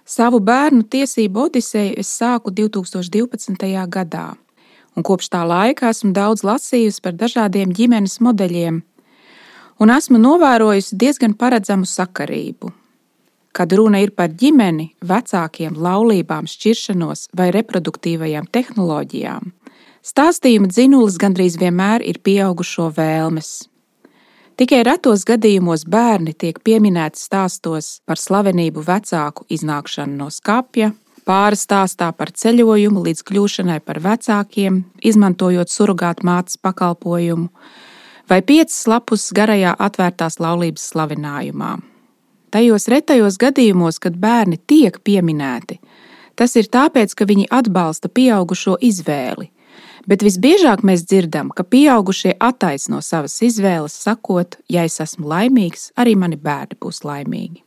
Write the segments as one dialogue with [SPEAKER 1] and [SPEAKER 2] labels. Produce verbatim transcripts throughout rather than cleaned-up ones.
[SPEAKER 1] Savu bērnu tiesību odiseju es sāku divtūkstoš divpadsmitajā gadā, un kopš tā laika esmu daudz lasījusi par dažādiem ģimenes modeļiem, un esmu novērojusi diezgan paredzamu sakarību. Kad runa ir par ģimeni, vecākiem, laulībām, šķiršanos vai reproduktīvajām tehnoloģijām, stāstījuma dzinulis gandrīz vienmēr ir pieaugušo vēlmes. Tikai retos gadījumos bērni tiek pieminēti stāstos par slavenību vecāku iznākšanu no skapja, pāra stāstā par ceļojumu līdz kļūšanai par vecākiem, izmantojot surogātu mātes pakalpojumu, vai piecas lapus garajā atvērtās laulības slavinājumā. Tajos retajos gadījumos, kad bērni tiek pieminēti, tas ir tāpēc, ka viņi atbalsta pieaugušo izvēli. Bet visbiežāk mēs dzirdam, ka pieaugušie attaisno savas izvēles, sakot, ja es esmu laimīgs, arī mani bērni būs laimīgi.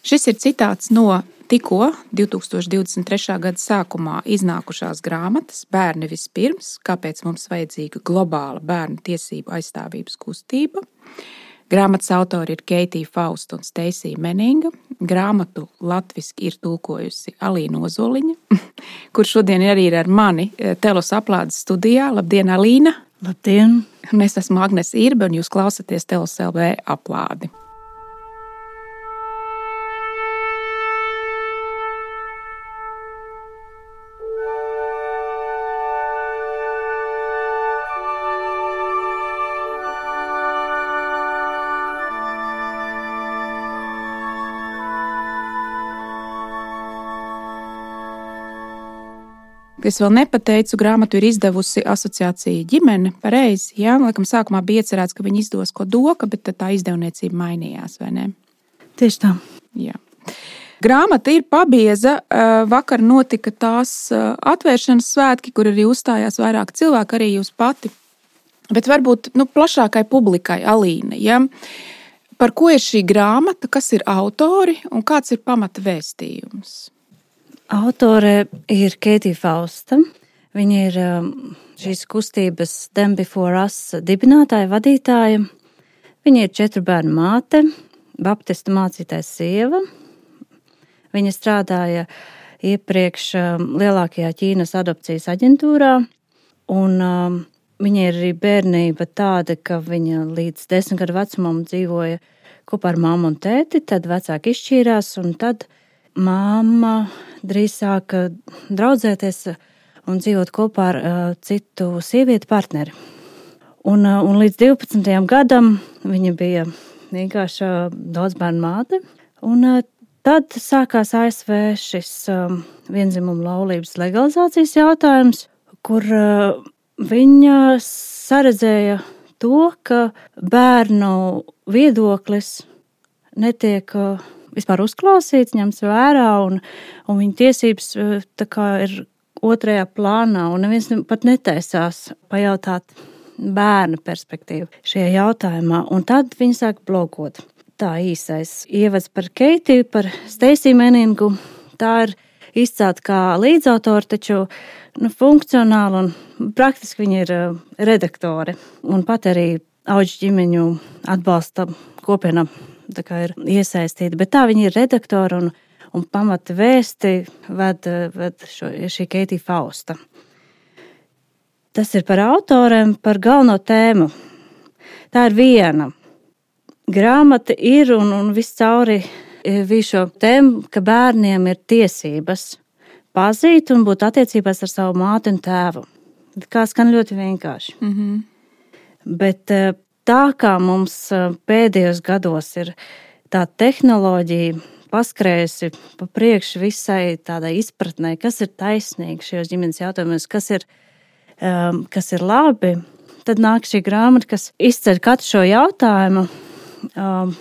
[SPEAKER 1] Šis ir citāts no tikko divtūkstoš divdesmit trešā gada sākumā iznākušās grāmatas Bērni vispirms, kāpēc mums vajadzīga globāla bērnu tiesību aizstāvības kustība. Grāmatas autori ir Keitija Fausta un Steisija Meninga. Grāmatu latviski ir tulkojusi Alīna Ozoliņa, kur šodien arī ir ar mani Telos Aplādes studijā. Labdien, Alīna!
[SPEAKER 2] Labdien!
[SPEAKER 1] Un es esmu Agnese Irbe, un jūs klausaties Telos L V Aplādi. Es vēl nepateicu, grāmatu ir izdevusi asociācija Ģimene, pareizi, jā, laikam sākumā bija iecerēts, ka viņi izdos ko doka, bet tad tā izdevniecība mainījās, vai ne?
[SPEAKER 2] Tieši tā.
[SPEAKER 1] Jā. Grāmata ir pabieza, vakar notika tās atvēršanas svētki, kur arī uzstājās vairāk cilvēku, arī jūs pati, bet varbūt nu, plašākai publikai, Alīna, ja? Par ko ir šī grāmata, kas ir autori un kāds ir pamata vēstījums?
[SPEAKER 2] Autore ir Keitija Fausta. Viņa ir šīs kustības Them Before Us dibinātāja, vadītāja. Viņa ir četru bērnu māte, baptistu mācītājs sieva. Viņa strādāja iepriekš lielākajā Ķīnas adopcijas aģentūrā. Un viņa ir arī bērnība tāda, ka viņa līdz desmit gadu vecumam dzīvoja kopā ar mammu un tēti, tad vecāki izšķīrās un tad mamma drīz sāka draudzēties un dzīvot kopā ar uh, citu sievieti partneri. Un, uh, un līdz divpadsmitajam gadam viņa bija vienkārši uh, daudzbērnu māte. Un uh, tad sākās A S V šis um, vienzimuma laulības legalizācijas jautājums, kur uh, viņa saredzēja to, ka bērnu viedoklis netiek uh, vispār uzklausīts, ņemts vērā, un, un viņa tiesības tā kā ir otrajā plānā, un neviens pat netaisās pajautāt bērnu perspektīvu šajā jautājumā. Un tad viņa sāk blogot. Tā īsais ievads par Keitiju, par Steisiju Meningu, tā ir izcelta kā līdzautori, taču nu, funkcionāli un praktiski viņa ir redaktore. Un pat arī Auģu ģimeņu atbalsta kopiena tā kā ir iesaistīta, bet tā viņa ir redaktora un, un pamata vēsti ved, ved šo, šī Keitija Fausta. Tas ir par autoriem, par galveno tēmu. Tā ir viena. Grāmata ir un, un viss cauri visu šo tēmu, ka bērniem ir tiesības pazīt un būt attiecībās ar savu māti un tēvu. Kā skan ļoti vienkārši.
[SPEAKER 1] Mm-hmm.
[SPEAKER 2] Bet tā kā mums pēdējos gados ir tā tehnoloģija paskrējusi pa priekšu visai tādai izpratnē, kas ir taisnīgi šajos ģimenes jautājumos, kas ir, um, kas ir labi, tad nāk šī grāmata, kas izceļ katru šo jautājumu um,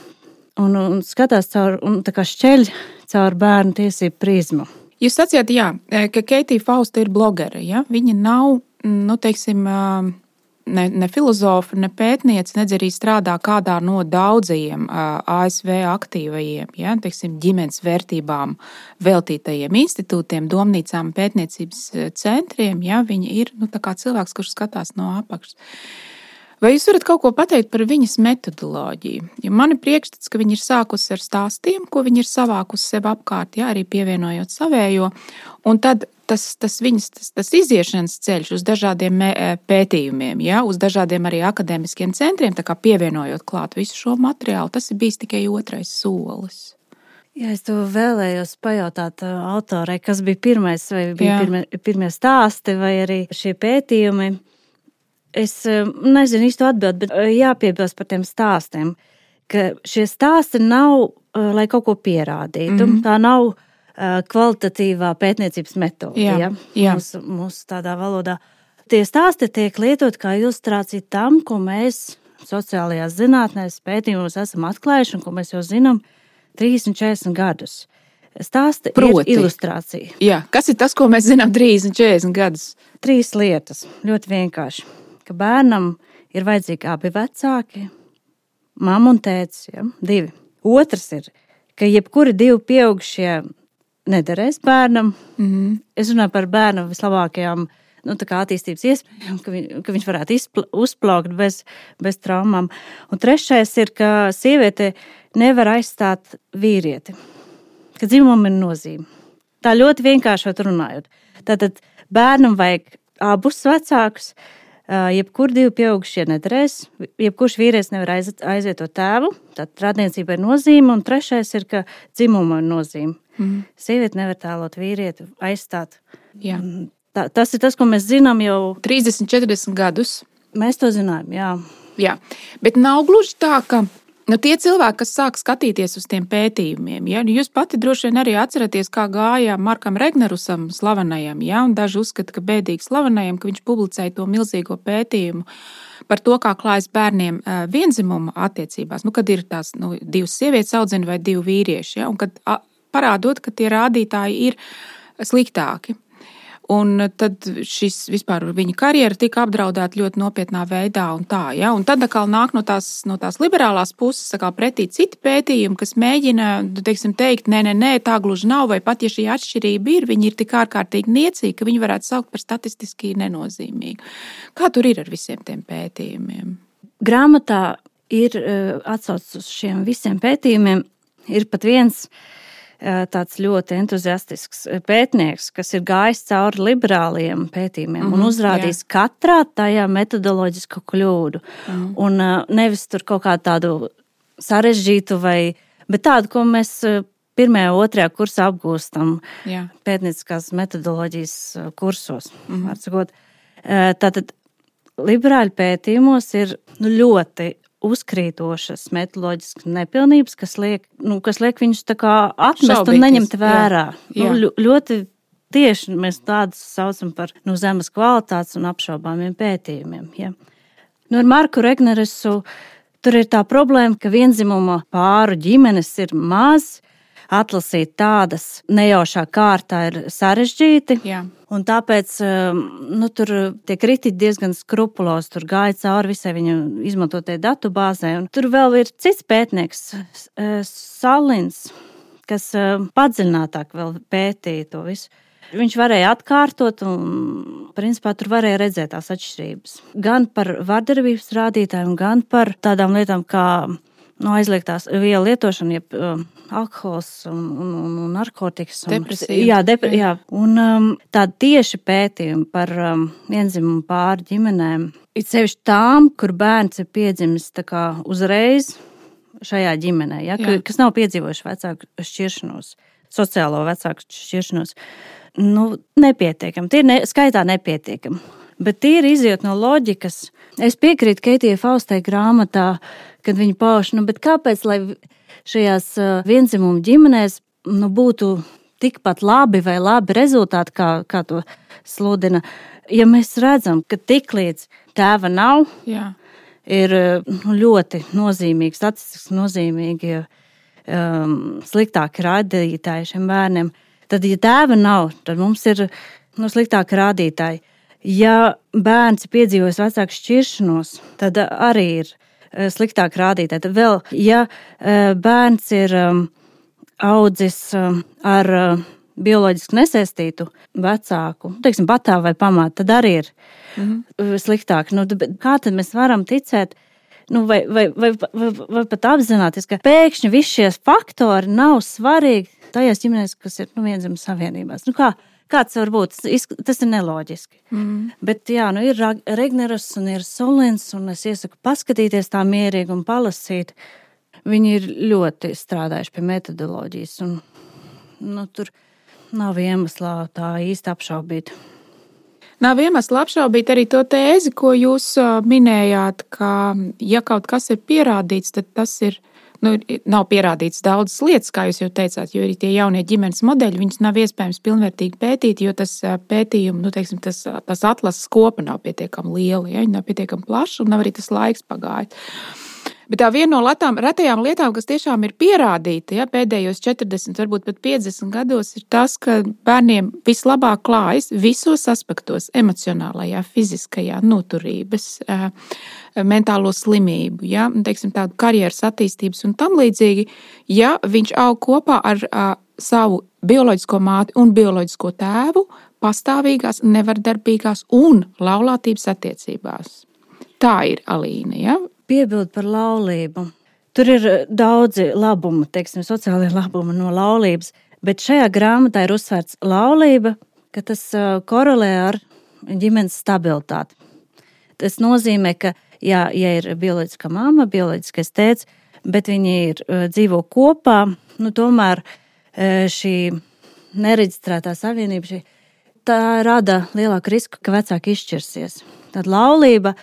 [SPEAKER 2] un, un skatās caur, un tā kā šķeļ caur bērnu tiesību prizmu.
[SPEAKER 1] Jūs sacījāt, jā, ka Keitija Fausta ir blogere, ja? Viņa nav, nu, teiksim, Ne, ne filozofa, ne pētniece, nedz arī strādā kādā no daudzajiem A S V aktīvajiem, ja, teiksim, ģimenes vērtībām veltītajiem institūtiem, domnīcām, pētniecības centriem. Ja, viņa ir nu, tā kā cilvēks, kurš skatās no apakšas. Vai jūs varat kaut ko pateikt par viņas metodoloģiju? Ja man ir priekšstats, ka viņa ir sākusi ar stāstiem, ko viņa ir savākusi sev apkārt, jā, arī pievienojot savējo, un tad tas, tas viņas tas, tas iziešanas ceļš uz dažādiem pētījumiem, jā, uz dažādiem arī akadēmiskiem centriem, tā kā pievienojot klāt visu šo materiālu, tas ir bijis tikai otrais solis.
[SPEAKER 2] Jā, es to vēlējos pajautāt autorei, kas bija pirmais, vai bija pirmie, pirmie stāsti, vai arī šie pētījumi. Es nezinu īstu atbildi, bet jāpiebilst par tiem stāstiem, ka šie stāsti nav, lai kaut ko pierādītu. Mm-hmm. Tā nav kvalitatīvā pētniecības metode, jā, ja? jā. Mūsu, mūsu tādā valodā. Tie stāsti tiek lietot kā ilustrācija tam, ko mēs sociālajās zinātnēs pētījumos esam atklājuši un ko mēs jau zinām trīsdesmit četrdesmit gadus. Stāsti Proti. Ir ilustrācija.
[SPEAKER 1] Jā, kas ir tas, ko mēs zinām trīsdesmit četrdesmit gadus?
[SPEAKER 2] Trīs lietas, ļoti vienkārši. Ka bērnam ir vajadzīgi abi vecāki, mamma un tētis, ja? Divi. Otrs ir, ka jebkuri divi pieaugušie nederēs bērnam. Mm-hmm. Es runāju par bērnu vislabākajām nu, tā kā attīstības iespējām, ka, viņ, ka viņš varētu izpl- uzplaukt bez, bez traumām. Un trešais ir, ka sieviete nevar aizstāt vīrieti, ka dzimumam ir nozīme. Tā ļoti vienkāršot runājot. Tātad bērnam vajag abus vecākus, jebkur divi pieaugušie nederēs, jebkurš vīrietis nevar aiziet, aizvietot tēvu, tad radniecība ir nozīme, un trešais ir, ka dzimuma ir nozīme. Mm. Sieviete nevar tēlot vīrieti, aizstāt.
[SPEAKER 1] Jā.
[SPEAKER 2] Tā, tas ir tas, ko mēs zinām jau
[SPEAKER 1] trīsdesmit četrdesmit gadus.
[SPEAKER 2] Mēs to zinām, jā.
[SPEAKER 1] Jā, bet nav gluži tā, ka nu, tie cilvēki, kas sāk skatīties uz tiem pētījumiem, ja, jūs pati droši vien arī atceraties, kā gāja Markam Regnerusam slavenajam, ja, un daži uzskata, ka bēdīgi slavenajam, ka viņš publicēja to milzīgo pētījumu par to, kā klājas bērniem vienzimuma attiecībās, nu, kad ir tās nu, divas sievietes audzina vai divi vīrieši, ja, un kad parādot, ka tie rādītāji ir sliktāki. Un tad šis vispār viņa karjera tika apdraudēta ļoti nopietnā veidā un tā, ja? Un tad atkal nāk no tās, no tās liberālās puses atkal pretī citi pētījumi, kas mēģina, teiksim, teikt, nē, nē, nē, tā gluži nav, vai pat ja šī atšķirība ir, viņi ir tik ārkārtīgi niecīgi, ka viņi varētu saukt par statistiski nenozīmīgu. Kā tur ir ar visiem tiem pētījumiem?
[SPEAKER 2] Grāmatā ir atsauc uz šiem visiem pētījumiem, ir pat viens tāds ļoti entuziastisks pētnieks, kas ir gājis cauri liberāliem pētījumiem mm-hmm, un uzrādījis jā. Katrā tajā metodoloģisku kļūdu. Mm-hmm. Un nevis tur kaut kā tādu sarežģītu vai, bet tādu, ko mēs pirmajā, otrajā kursā apgūstam jā. Pētnieciskās metodoloģijas kursos. Mm-hmm. Atsakot. Tātad liberāļu pētījumos ir nu, ļoti uzkrītošas metodoloģiskas nepilnības, kas liek, nu, kas liek viņus tā kā atmest Šaubītis, un neņemt vērā. Jā, jā. Nu, ļoti tieši mēs tādus saucam par nu, zemes kvalitātes un apšaubāmiem pētījumiem. Ja. Nu, ar Marku Regnerusu tur ir tā problēma, ka vienzimuma pāru ģimenes ir maz, atlasīt tādas nejaušā kārtā ir sarežģīti. Jā. Un tāpēc nu, tur tie kritiķi diezgan skrupulos, tur gāja cauri visai viņa izmantotajai datubāzē. Un tur vēl ir cits pētnieks, Salins, kas padziļinātāk vēl pētīja to visu. Viņš varēja atkārtot un, principā, tur varēja redzēt tās atšķirības. Gan par vardarbības rādītājiem, gan par tādām lietām kā no aizliegtās vielu lietošana, jeb uh, alkohols un, un, un narkotikas.
[SPEAKER 1] Depresija.
[SPEAKER 2] Jā, depre, jā. Un um, tādi tieši pētījumi par um, vienzimumu pāru ģimenēm. Ir sevišķi tām, kur bērns ir piedzimis tā kā uzreiz šajā ģimenē, ja, ka, kas nav piedzīvojuši vecāku šķiršanos, sociālo vecāku šķiršanos. Nu, nepietiekam. Tie ir ne, skaitā nepietiekam. Bet tie ir iziet no loģikas. Es piekrītu Keitijai Faustai grāmatā, kad viņa pauž, nu, bet kāpēc, lai šajās vienzimumu ģimenēs nu, būtu tikpat labi vai labi rezultāti, kā, kā to sludina, ja mēs redzam, ka tiklīdz tēva nav, Jā. Ir nu, ļoti nozīmīgi, statistiski nozīmīgi um, sliktāki rādītāji šiem bērniem. Tad, ja tēva nav, tad mums ir nu, sliktāki rādītāji. Ja bērns ir piedzīvojis vecāku šķiršanos, tad arī ir sliktāk rādītāji. Tad vēl, ja bērns ir audzis ar bioloģiski nesaistītu vecāku, teiksim, patā vai pamātu, tad arī ir mm-hmm. sliktāk. Nu, kā tad mēs varam ticēt, nu, vai, vai, vai, vai, vai pat apzināties, ka pēkšņi visi šie faktori nav svarīgi tajās ģimenēs, kas ir nu, vienzemes savienībās? Nu, kā? Kāds var būt? Tas ir neloģiski. Mm. Bet jā, nu ir Regneras un ir Solins, un es iesaku paskatīties tā mierīgi un palasīt. Viņi ir ļoti strādājuši pie metodoloģijas, un nu, tur nav iemesla tā īsti apšaubīt.
[SPEAKER 1] Nav iemesla apšaubīt arī to tēzi, ko jūs minējāt, ka ja kaut kas ir pierādīts, tad tas ir Nu, nav pierādīts daudzas lietas, kā jūs jau teicāt, jo arī tie jaunie ģimenes modeļi, viņus nav iespējams pilnvērtīgi pētīt, jo tas pētījumi, nu, teiksim, tas, tas atlases kopa nav pietiekami liela, ja, viņi nav pietiekami plaši un nav arī tas laiks pagājis. Bet tā viena no latām, retajām lietām, kas tiešām ir pierādīta, ja, pēdējos četrdesmit, varbūt pat piecdesmit gados, ir tas, ka bērniem vislabāk klājas visos aspektos - emocionālajā, fiziskajā, noturības, mentālo slimību, ja, teiksim, tādu karjeras attīstības un tam līdzīgi, ja viņš aug kopā ar savu bioloģisko māti un bioloģisko tēvu pastāvīgās, nevardarbīgās un laulātības attiecībās. Tā ir Alīna, ja?
[SPEAKER 2] Piebild par laulību. Tur ir daudzi labumi, teiksim, sociālie labumi no laulības, bet šajā grāmatā ir uzsvērts laulība, ka tas korelē ar ģimenes stabilitāti. Tas nozīmē, ka, jā, ja ir bioloģiskā mamma, bioloģiskais tēvs, bet viņi ir dzīvo kopā, nu tomēr šī nereģistrētā savienība, šī, tā rada lielāku risku, ka vecāki izšķirsies. Tad laulība,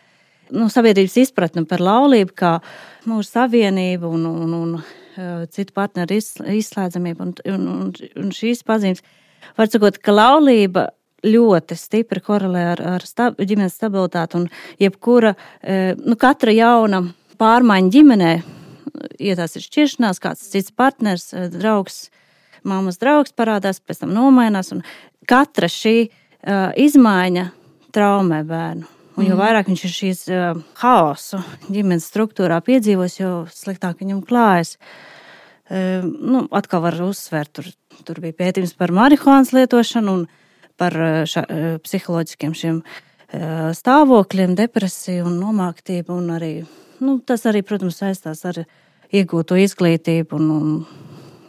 [SPEAKER 2] nu, sabiedrības izpratne par laulību kā mūsu savienību un, un, un uh, citu partneru izslēdzamību un, un, un, un šīs pazīmes. Var sakot, ka laulība ļoti stipri korelē ar, ar stab, ģimenes stabilitāti un jebkura, uh, nu, katra jauna pārmaiņa ģimenē, ja tās ir šķiršanās, kāds cits partners, draugs, mammas draugs parādās, pēc tam nomainās un katra šī uh, izmaiņa traumē bērnu. Un jo vairāk viņš ir šīs uh, haosu ģimenes struktūrā piedzīvos, jo sliktāk viņam klājas. Uh, nu, atkal var uzsvērt, tur, tur bija pētījums par marihuānas lietošanu un par ša, uh, psiholoģiskiem šiem uh, stāvokļiem, depresiju un nomāktību. Un arī, nu, tas arī, protams, saistās ar iegūto izglītību un, un,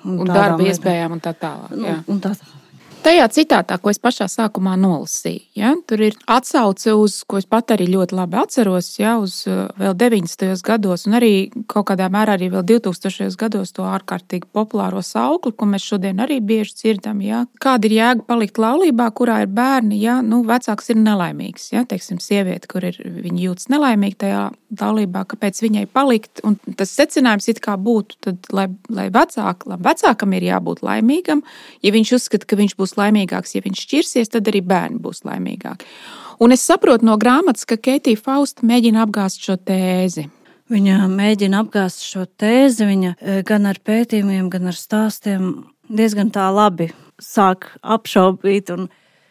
[SPEAKER 1] un, un darba iespējām un tā tālāk. Jā.
[SPEAKER 2] Nu, un tā tālāk.
[SPEAKER 1] Tajā citātā, ko es pašā sākumā nolasīju, ja, tur ir atsauce uz, ko es pat arī ļoti labi atceros, ja, uz vēl deviņdesmitajos gados un arī kaut kādā mērā arī vēl divtūkstošajos gados to ārkārtīgi populāro saukli, ko mēs šodien arī bieži dzirdam, ja. Kāda ir jēga palikt laulībā, kurā ir bērni, ja, nu, vecāks ir nelaimīgs, ja, teiksim, sieviete, kur ir, viņa jūtas nelaimīgi tajā laulībā, kāpēc viņai palikt, un tas secinājums it kā būtu, tad, lai, lai vecāk, lai vecākam ir jābūt laimīgam, ja viņš uzskata, ka viņš būs laimīgāks, ja viņš šķirsies, tad arī bērni būs laimīgāki. Un es saprotu no grāmatas, ka Keitija Fausta mēģina apgāzt šo tēzi.
[SPEAKER 2] Viņa mēģina apgāzt šo tēzi, viņa gan ar pētījumiem, gan ar stāstiem diezgan tā labi sāk apšaubīt un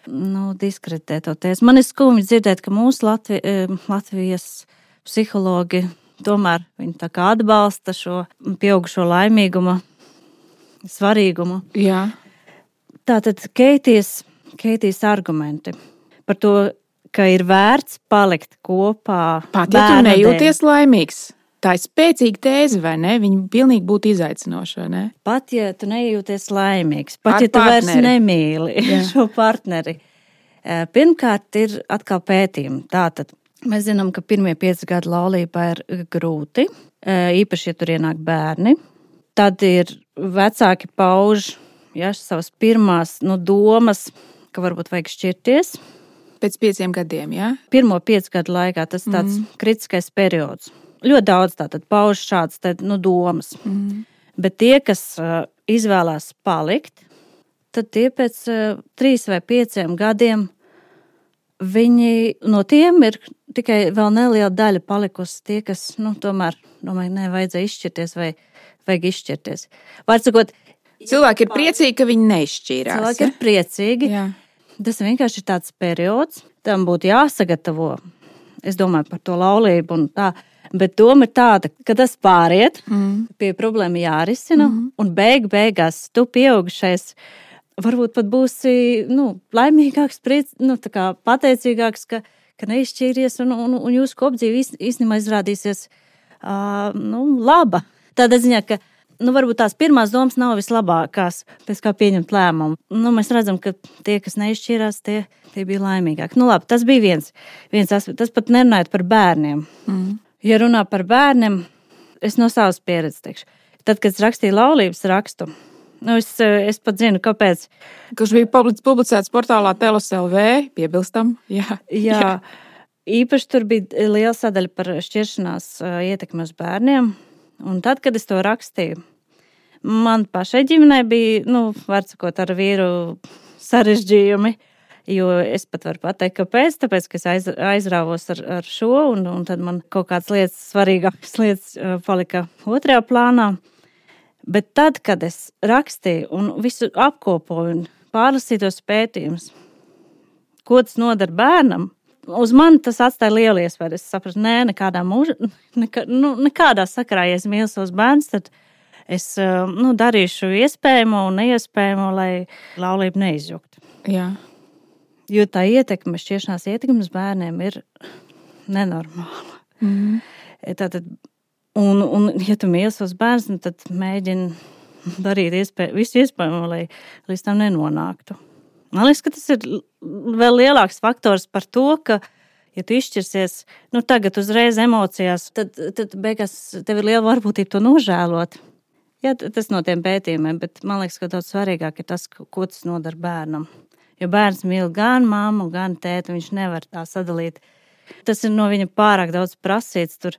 [SPEAKER 2] nu, diskreditēt to tēzi. Man ir skumji dzirdēt, ka mūsu Latvi, Latvijas psihologi tomēr viņi tā kā atbalsta šo pieaugušo laimīgumu, svarīgumu.
[SPEAKER 1] Jā.
[SPEAKER 2] Tātad Keitijas, Keitijas argumenti par to, ka ir vērts palikt kopā.
[SPEAKER 1] Pat, ja tu nejūties laimīgs, tā ir spēcīga tēze, vai ne? Viņa pilnīgi būtu izaicinoša, vai ne?
[SPEAKER 2] Pat, ja tu nejūties laimīgs, pat,
[SPEAKER 1] Ar
[SPEAKER 2] ja tu
[SPEAKER 1] partneri.
[SPEAKER 2] vairs nemīli Jā. šo partneri. Pirmkārt ir atkal pētījumi. Tātad mēs zinām, ka pirmie pieci gadi laulībā ir grūti, īpaši, ja tur ienāk bērni. Tad ir vecāki pauž Ja, savas pirmās nu, domas, ka varbūt vajag šķirties.
[SPEAKER 1] Pēc pieciem gadiem, jā? Ja?
[SPEAKER 2] Pirmo piecu gadu laikā tas tāds mm. kritiskais periods. Ļoti daudz tātad pauž šādas tad, nu, domas. Mm. Bet tie, kas uh, izvēlās palikt, tad tie pēc uh, trīs vai pieciem gadiem viņi no tiem ir tikai vēl neliela daļa palikusi tie, kas, nu, tomēr, domāju, ne, vajadzēja izšķirties vai vajag izšķirties. Vārds sakot,
[SPEAKER 1] cilvēki ir priecīgi, ka viņi neizšķīrās.
[SPEAKER 2] Cilvēki
[SPEAKER 1] ja?
[SPEAKER 2] ir priecīgi.
[SPEAKER 1] Jā.
[SPEAKER 2] Tas vienkārši ir tāds periods. Tam būtu jāsagatavo. Es domāju par to laulību un tā. Bet doma ir tāda, ka tas pāriet, mm. pie problēma jārisina. Mm. Un beig beigās tu pieaugušais varbūt pat būsi, nu, laimīgāks, priec, nu, tā kā pateicīgāks, ka, ka neizšķīries un, un, un jūsu kopdzīve īstenībā izrādīsies, uh, nu, laba. Tādā ziņā, ka, nu, varbūt tās pirmās domas nav vislabākās, pēc kā pieņemt lēmumu. Nu, mēs redzam, ka tie, kas neizšķīrās, tie, tie bija laimīgāki. Nu, labi, tas bija viens, viens aspekts. Tas pat nerunājot par bērniem. Mm. Ja runā par bērniem, es no savas pieredzes teikšu. Tad, kad es rakstīju laulības rakstu, nu, es, es pat zinu, kāpēc.
[SPEAKER 1] Kurš bija publicēts portālā Telos L V, piebilstam. Jā.
[SPEAKER 2] Jā. Jā. Īpaši tur bija liela sadaļa par šķiršanās ietekmi uz bērniem. Un tad, kad es to rakstīju, man pašai ģimenei bija, nu, var sakot, ar vīru sarežģījumi, jo es pat varu pateikt, kāpēc, tāpēc, ka es aiz, aizrāvos ar, ar šo, un, un tad man kaut kādas lietas, svarīgākas lietas palika otrajā plānā. Bet tad, kad es rakstīju un visu apkopoju un pārlasīju tos pētījumus, ko tas nodara bērnam, uz mani tas atstāja lielu iespēju. Es sapratu, nē, nekādā mūžā, nekā, nu, nekādā sakarā, ja es mīlu savus bērnus, tad es, nu, darīšu iespējamo un neiespējamo, lai laulība neizjuktu.
[SPEAKER 1] Jā.
[SPEAKER 2] Jo tā ietekme, šķiršanās ietekme uz bērniem ir nenormāla. Mm. Tātad, un, un, ja tu mīli savus bērnus, tad mēģini darīt iespēj, visu iespējamo, lai līdz tam nenonāktu. Man liekas, ka tas ir vēl lielāks faktors par to, ka, ja tu izšķirsies, nu, tagad uzreiz emocijās, tad, tad beigās tev ir liela varbūtība to nožēlot. Jā, tas no tiem pētījumiem, bet man liekas, ka daudz svarīgāk ir tas, ko tas nodara bērnam. Jo bērns mīl gan mammu, gan tēti, viņš nevar tā sadalīt. Tas ir no viņa pārāk daudz prasīts tur.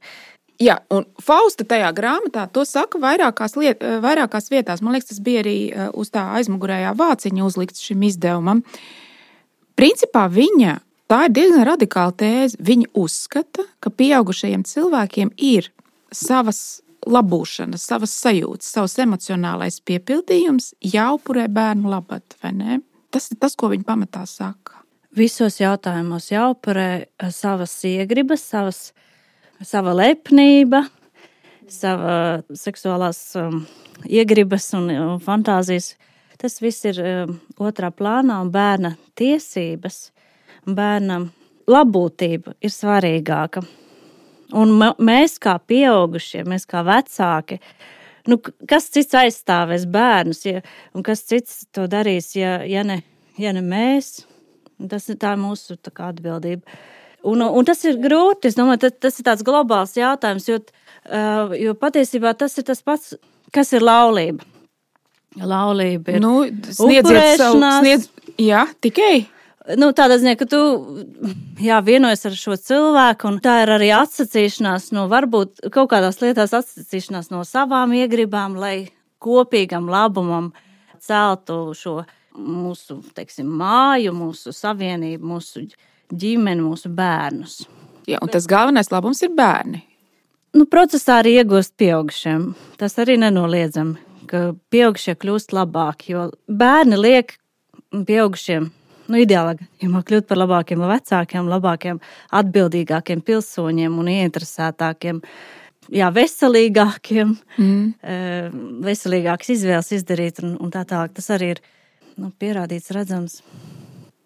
[SPEAKER 1] Jā, un Fausta tajā grāmatā to saka vairākās, liet, vairākās vietās. Man liekas, tas bija arī uz tā aizmugurējā vāciņa uzlikts šim izdevumam. Principā viņa, tā ir diezgan radikāla tēze. Viņa uzskata, ka pieaugušajiem cilvēkiem ir savas labūšanas, savas sajūtas, savs emocionālais piepildījums jāupurē bērnu labad, vai ne? Tas ir tas, ko viņa pamatā saka.
[SPEAKER 2] Visos jautājumos jāupurē savas iegribas, savas sava lepnība, sava seksuālās um, iegribas un, un fantāzijas. Tas viss ir um, otrā plānā, un bērna tiesības, bērna labbūtība ir svarīgāka. Un m- mēs kā pieaugušie, mēs kā vecāki, nu, kas cits aizstāvēs bērnus, ja, un kas cits to darīs, ja, ja, ne, ja ne mēs, tas ir tā mūsu tā kā atbildība. Un, un tas ir grūti, es domāju, tas, tas ir tāds globāls jautājums, jo, uh, jo patiesībā tas ir tas pats, kas ir laulība. Laulība ir
[SPEAKER 1] nu, sniedziet savu, sniedz, jā, tikai.
[SPEAKER 2] Nu, tādā ziņā, ka tu jā, vienojies ar šo cilvēku, un tā ir arī atsacīšanās no varbūt kaut kādās lietās atsacīšanās no savām iegribām, lai kopīgam labumam celtu šo mūsu, teiksim, māju, mūsu savienību, mūsu ģimeni, mūsu bērnus.
[SPEAKER 1] Jā, un tas galvenais labums ir bērni.
[SPEAKER 2] Nu, procesā arī iegūst pieaugušiem. Tas arī nenoliedzami, ka pieaugušie kļūst labāki, jo bērni liek pieaugušiem, nu, ideālā gadījumā kļūt par labākiem vecākiem, labākiem, atbildīgākiem pilsoņiem un ieinteresētākiem, jā, veselīgākiem, mm. veselīgākas izvēles izdarīt un, un tā tālāk. Tas arī ir, nu, pierādīts, redzams.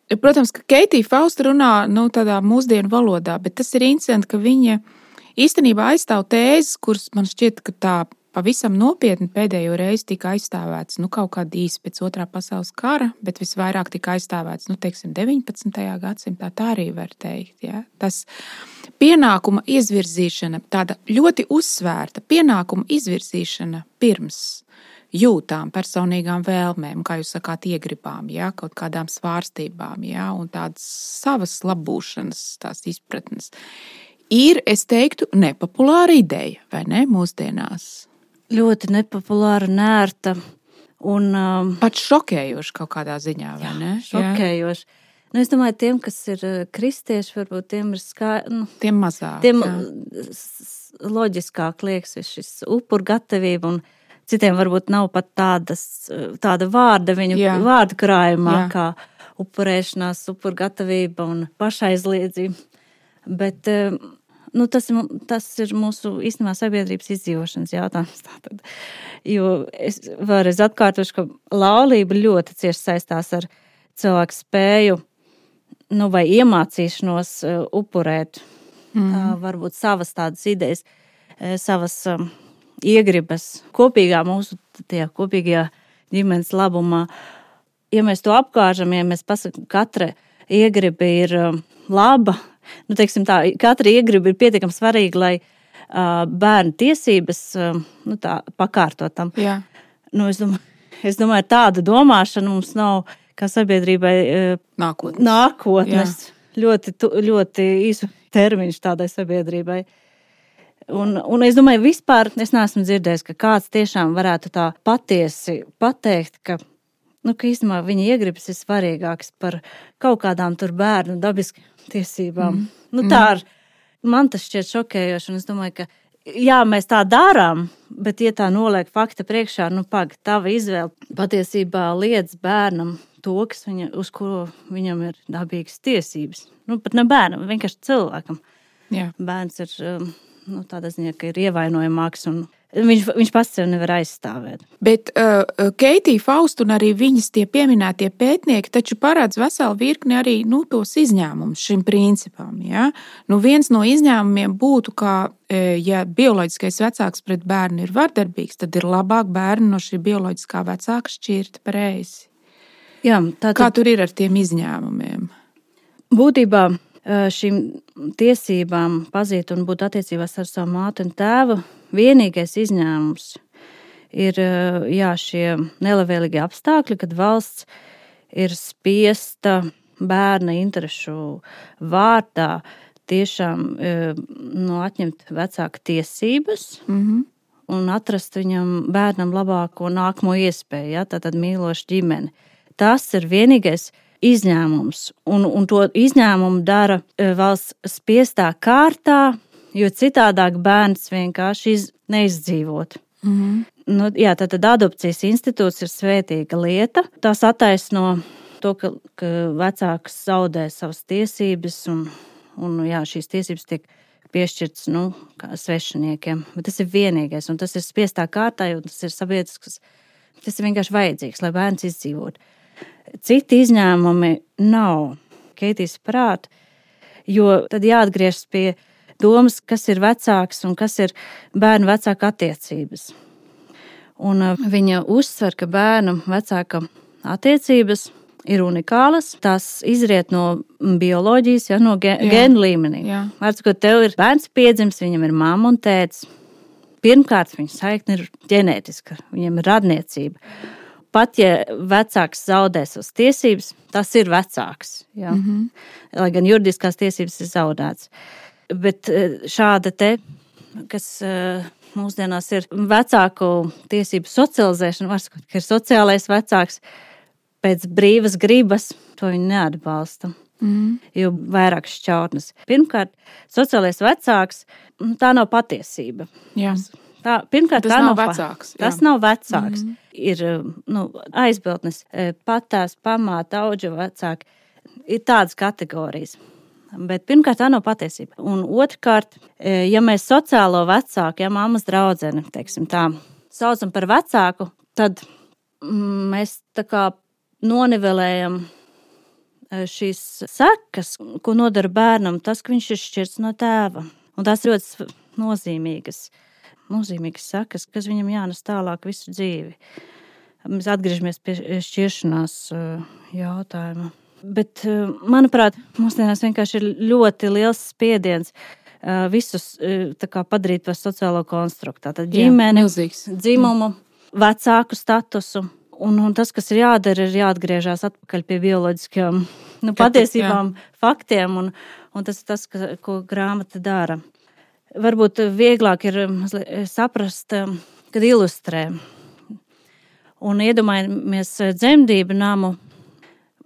[SPEAKER 1] Protams, ka Keitija Fausta runā, nu, tādā mūsdienu valodā, bet tas ir interesanti, ka viņa īstenībā aizstāv tēzes, kuras man šķiet, ka tā pavisam nopietni pēdējo reizi tika aizstāvēts, nu, kaut kādā īsi pēc otrā pasaules kara, bet visvairāk tika aizstāvēts, nu, teiksim, deviņpadsmitajā gadsimtā, tā arī var teikt, jā. Tas pienākuma izvirzīšana, tāda ļoti uzsvērta pienākuma izvirzīšana pirms jūtām, personīgām vēlmēm, kā jūs sakāt, iegribām, jā, kaut kādām svārstībām, jā, un tādas savas labūšanas, tās izpratnes. Ir, es teiktu, nepopulāra ideja, vai ne, mūsdienās?
[SPEAKER 2] Ļoti nepopulāra, nērta un... Um,
[SPEAKER 1] pat šokējoši kaut kādā ziņā, vai ne?
[SPEAKER 2] Jā, šokējoši. Jā. Nu, es domāju, tiem, kas ir kristieši, varbūt tiem ir skā... Nu,
[SPEAKER 1] tiem mazāk,
[SPEAKER 2] tiem
[SPEAKER 1] jā.
[SPEAKER 2] Loģiskāk liekas šis upurgatavība un citiem varbūt nav pat tādas, tāda vārda viņu jā. Vārdu krājumā, jā. Kā upurēšanās, upurgatavība un pašaizliedzība. Bet Nu, tas, tas ir mūsu īstenībā sabiedrības izdzīvošanas jautājums. Tātad. Jo es vēlreiz atkārtošu, ka laulība ļoti cieši saistās ar cilvēku spēju nu, vai iemācīšanos upurēt mm. tā, varbūt savas tādas idejas, savas um, iegribas kopīgā mūsu tie kopīgajā ģimenes labumā. Ja mēs to apkāržam, ja mēs pasakām, katra iegriba ir um, laba, nu, teiksim tā, katra iegriba ir pietiekami svarīga, lai uh, bērnu tiesības uh, nu, tā, pakārtotam.
[SPEAKER 1] Jā.
[SPEAKER 2] Nu, es domāju, es domāju, tāda domāšana mums nav kā sabiedrībai uh,
[SPEAKER 1] nākotnes.
[SPEAKER 2] nākotnes. Ļoti, ļoti īsu termiņš tādai sabiedrībai. Un, un es domāju, vispār es neesmu dzirdējis, ka kāds tiešām varētu tā patiesi pateikt, ka Nu, ka īstenībā viņa iegribas ir svarīgākas par kaut kādām tur bērnu dabiski tiesībām. Mm. Nu, tā ar, man tas šķiet šokējoši, un es domāju, ka jā, mēs tā darām, bet ja tā noliek fakta priekšā, nu, pag, tava izvēle patiesībā liedz bērnam to, kas viņa, uz kuru viņam ir dabīgas tiesības. Nu, pat ne bērnam, vienkārši cilvēkam.
[SPEAKER 1] Jā.
[SPEAKER 2] Bērns ir, nu, tādā ziņā, ka ir ievainojamāks un Viņš, viņš pats sev nevar aizstāvēt.
[SPEAKER 1] Bet uh, Keitija Fausta un arī viņas tie pieminētie pētnieki taču paredz veselu virkni arī nu, tos izņēmumus šim principam. Ja? Nu, viens no izņēmumiem būtu, ka, ja bioloģiskais vecāks pret bērnu ir vardarbīgs, tad ir labāk bērnu no šī bioloģiskā vecāka šķirt pareizi.
[SPEAKER 2] Jā, tātad,
[SPEAKER 1] Kā tur ir ar tiem izņēmumiem?
[SPEAKER 2] Būtībā šīm tiesībām pazīt un būt attiecībās ar savu māti un tēvu vienīgais izņēmums ir jā, šie nelabvēlīgi apstākļi, kad valsts ir spiesta bērna interešu vārdā tiešām nu, atņemt vecāka tiesības mm-hmm. un atrast viņam bērnam labāko nākamo iespēju, ja, tātad mīlošu ģimeni. Tas ir vienīgais izņēmums, un, un to izņēmumu dara valsts spiestā kārtā, jo citādāk bērns vienkārši iz, neizdzīvot. Mm-hmm. Nu, jā, tātad adopcijas institūts ir svētīga lieta. Tās attaisno to, ka, ka vecāks zaudē savas tiesības, un, un jā, šīs tiesības tiek piešķirtas nu, svešiniekiem. Bet tas ir vienīgais, un tas ir spiestā kārtā, jo tas ir sabiedrisks, tas ir vienkārši vajadzīgs, lai bērns izdzīvot. Citi izņēmumi nav Keitijas prāt, jo tad jāatgriežas pie domas, kas ir vecāks un kas ir bērnu vecāka attiecības. Un viņa uzsver, ka bērnu vecāka attiecības ir unikālas. Tās izriet no bioloģijas, ja, no gēnu līmenī. Vārds, ko tev ir bērns piedzimis, viņam ir mamma un tētis. Pirmkārt, viņa saikne ir ģenētiska, viņam ir radniecība. Pat, ja vecāks zaudē savas tiesības, tas ir vecāks. Ja. Mm-hmm. Lai gan juridiskās tiesības ir zaudētas. Bet šāda te, kas mūsdienās ir vecāku tiesību socializēšana, var sakot, ka ir sociālais vecāks pēc brīvas gribas, to viņi neatbalsta. Mm. Jo vairāk šķautnes. Pirmkārt, sociālais vecāks, tā nav patiesība.
[SPEAKER 1] Jā.
[SPEAKER 2] Tā, pirmkārt,
[SPEAKER 1] tas
[SPEAKER 2] tā
[SPEAKER 1] nav
[SPEAKER 2] nav
[SPEAKER 1] vecāks.
[SPEAKER 2] Pa, tas nav vecāks. Mm. Ir nu, aizbiltnes, patās, pamāta, auģa vecāki. Ir tādas kategorijas. Bet pirmkārt, tā nav patiesība. Un otrkārt, ja mēs sociālo vecāku, ja mammas draudzeni, teiksim tā, saucam par vecāku, tad mēs tā kā nonivelējam šīs sekas, ko nodara bērnam, tas, ka viņš ir šķirts no tēva. Un tās ļoti nozīmīgas, nozīmīgas sekas, kas viņam jānes tālāk visu dzīvi. Mēs atgriežamies pie šķiršanās jautājuma. Bet, manuprāt, mūsdienās vienkārši ir ļoti liels spiediens visus tā kā padarīt par sociālo konstruktu. Tātad ģimeni, dzimumu, vecāku statusu. Un, un tas, kas ir jādara, ir jāatgriežās atpakaļ pie bioloģiskajām nu, patiesībām, jā. faktiem. Un, un tas ir tas, ka, ko grāmata dara. Varbūt vieglāk ir saprast, kad ilustrē. Un iedomājamies dzemdību namu.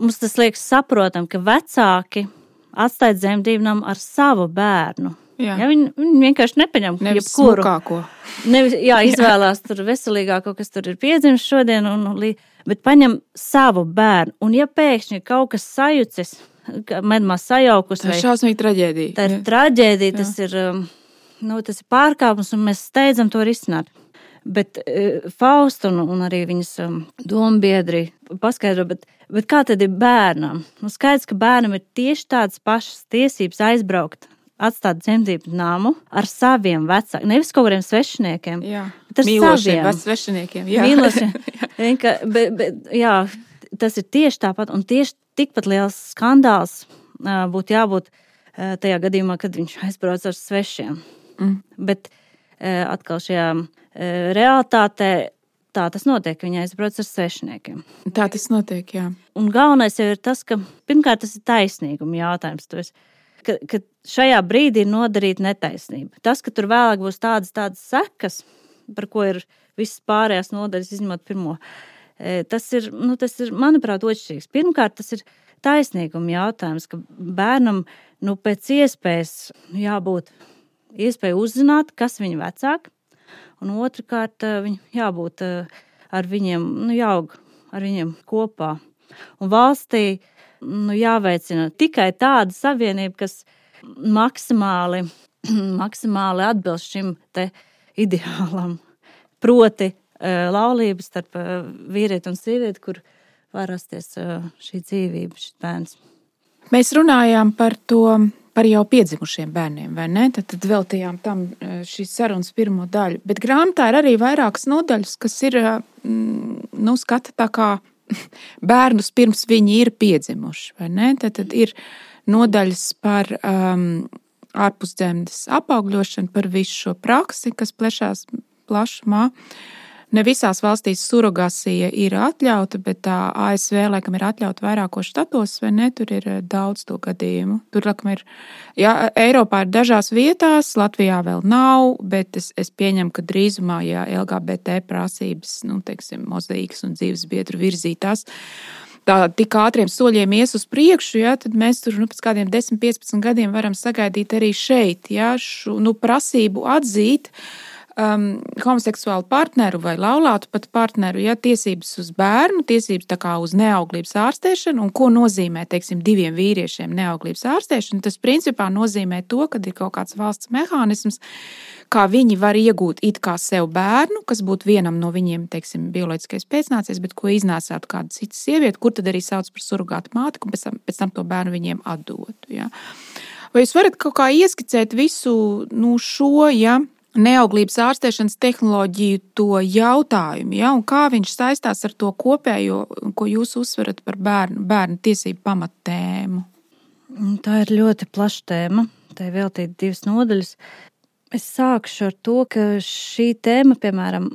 [SPEAKER 2] Mums tas liekas saprotam, ka vecāki atstāja dzemdību namu ar savu bērnu.
[SPEAKER 1] Jā.
[SPEAKER 2] Ja, viņi, viņi vienkārši nepaņem
[SPEAKER 1] nevis
[SPEAKER 2] jebkuru.
[SPEAKER 1] Smukāko.
[SPEAKER 2] Nevis, jā, izvēlās tur veselīgāko, kas tur ir piedzimis šodien, un, bet paņem savu bērnu. Un ja pēkšņi kaut kas sajucis medmās sajaukus.
[SPEAKER 1] Tā ir šausmīga traģēdija.
[SPEAKER 2] Tā ir traģēdija, tas ir, nu, tas ir pārkāpums, un mēs steidzam to risināt. Bet uh, Fausta un, un arī viņas um, dombiedri paskaidro, bet, bet kā tad ir bērnam? Nu, skaidrs, ka bērnam ir tieši tādas pašas tiesības aizbraukt, atstāt dzemdību namu ar saviem vecākiem, nevis kaut kādiem svešiniekiem,
[SPEAKER 1] jā.
[SPEAKER 2] bet ar
[SPEAKER 1] Mīlošiem
[SPEAKER 2] saviem
[SPEAKER 1] svešiniekiem. Jā.
[SPEAKER 2] Mīlošiem. Vienka, bet, bet, jā, tas ir tieši tāpat, un tieši tikpat liels skandāls uh, būtu jābūt uh, tajā gadījumā, kad viņš aizbrauc ar svešiem. Mm. Bet uh, atkal šajā realitātē tā tas notiek, viņa aizbrauc ar svešiniekiem.
[SPEAKER 1] Tā tas notiek, jā.
[SPEAKER 2] Un galvenais jau ir tas, ka pirmkārt tas ir taisnīguma jautājums. Tu esi, ka, ka šajā brīdī ir nodarīta netaisnība. Tas, ka tur vēlāk būs tādas, tādas sekas, par ko ir visas pārējās nodaļas, izņemot pirmo, tas ir, nu, tas ir, manuprāt, otršķirīgs. Pirmkārt, tas ir taisnīguma jautājums, ka bērnam, nu, pēc iespējas jābūt iespēja uzzināt, kas viņa vecāki, un otrkārt, viņu jābūt ar viņiem, nu, jāaug ar viņiem kopā. Un valstī, nu, jāveicina tikai tāda savienība, kas maksimāli, maksimāli atbilst šim te ideālam. Proti laulības starp vīrieti un sievieti, kur var rasties šī dzīvība, šis bērns.
[SPEAKER 1] Mēs runājām par to, par jau piedzimušiem bērniem, vai ne? Tad, tad veltījām tam šīs sarunas pirmo daļu. Bet grāmatā ir arī vairākas nodaļas, kas ir, nu, skata tā kā bērnus pirms viņi ir piedzimuši, vai ne? Tad, tad ir nodaļas par um, ārpusdzemdes apaugļošanu, par visu šo praksi, kas plešās plašumā. Ne visās valstīs surogāsija ir atļauta, bet tā A S V laikam ir atļauta vairākos štatos, vai ne? Tur ir daudz to gadījumu. Tur laikam ir, jā, Eiropā ir dažās vietās, Latvijā vēl nav, bet es, es pieņemu, ka drīzumā, ja L G B T prasības, nu, teiksim, mozaīkas un dzīves biedru virzītās, tā tik ātriem soļiem ies uz priekšu, ja, tad mēs tur, nu, pēc kādiem desmit piecpadsmit gadiem varam sagaidīt arī šeit, ja, šo, nu, prasību atzīt, Um, homoseksuālu partneru vai laulātu pat partneru, ja, tiesības uz bērnu, tiesības tā kā uz neauglības ārstēšanu, un ko nozīmē, teiksim, diviem vīriešiem neauglības ārstēšana, tas principā nozīmē to, ka ir kaut kāds valsts mehānisms, kā viņi var iegūt it kā sev bērnu, kas būtu vienam no viņiem, teiksim, bioloģiskais pēcnācējs, bet ko iznācātu kāda cita sieviete, kur tad arī sauc par surogātu māti, un pēc tam, pēc tam to bērnu viņiem atdotu. Ja. Vai jūs varat kaut kā ieskicēt visu, nu, šo, ja, neauglības ārstēšanas tehnoloģiju to jautājumu, ja, un kā viņš saistās ar to kopējo, ko jūs uzsverat par bērnu, bērnu tiesību pamattēmu?
[SPEAKER 2] Tā ir ļoti plaša tēma, tā ir veltīta divas nodaļas. Es sākšu ar to, ka šī tēma, piemēram,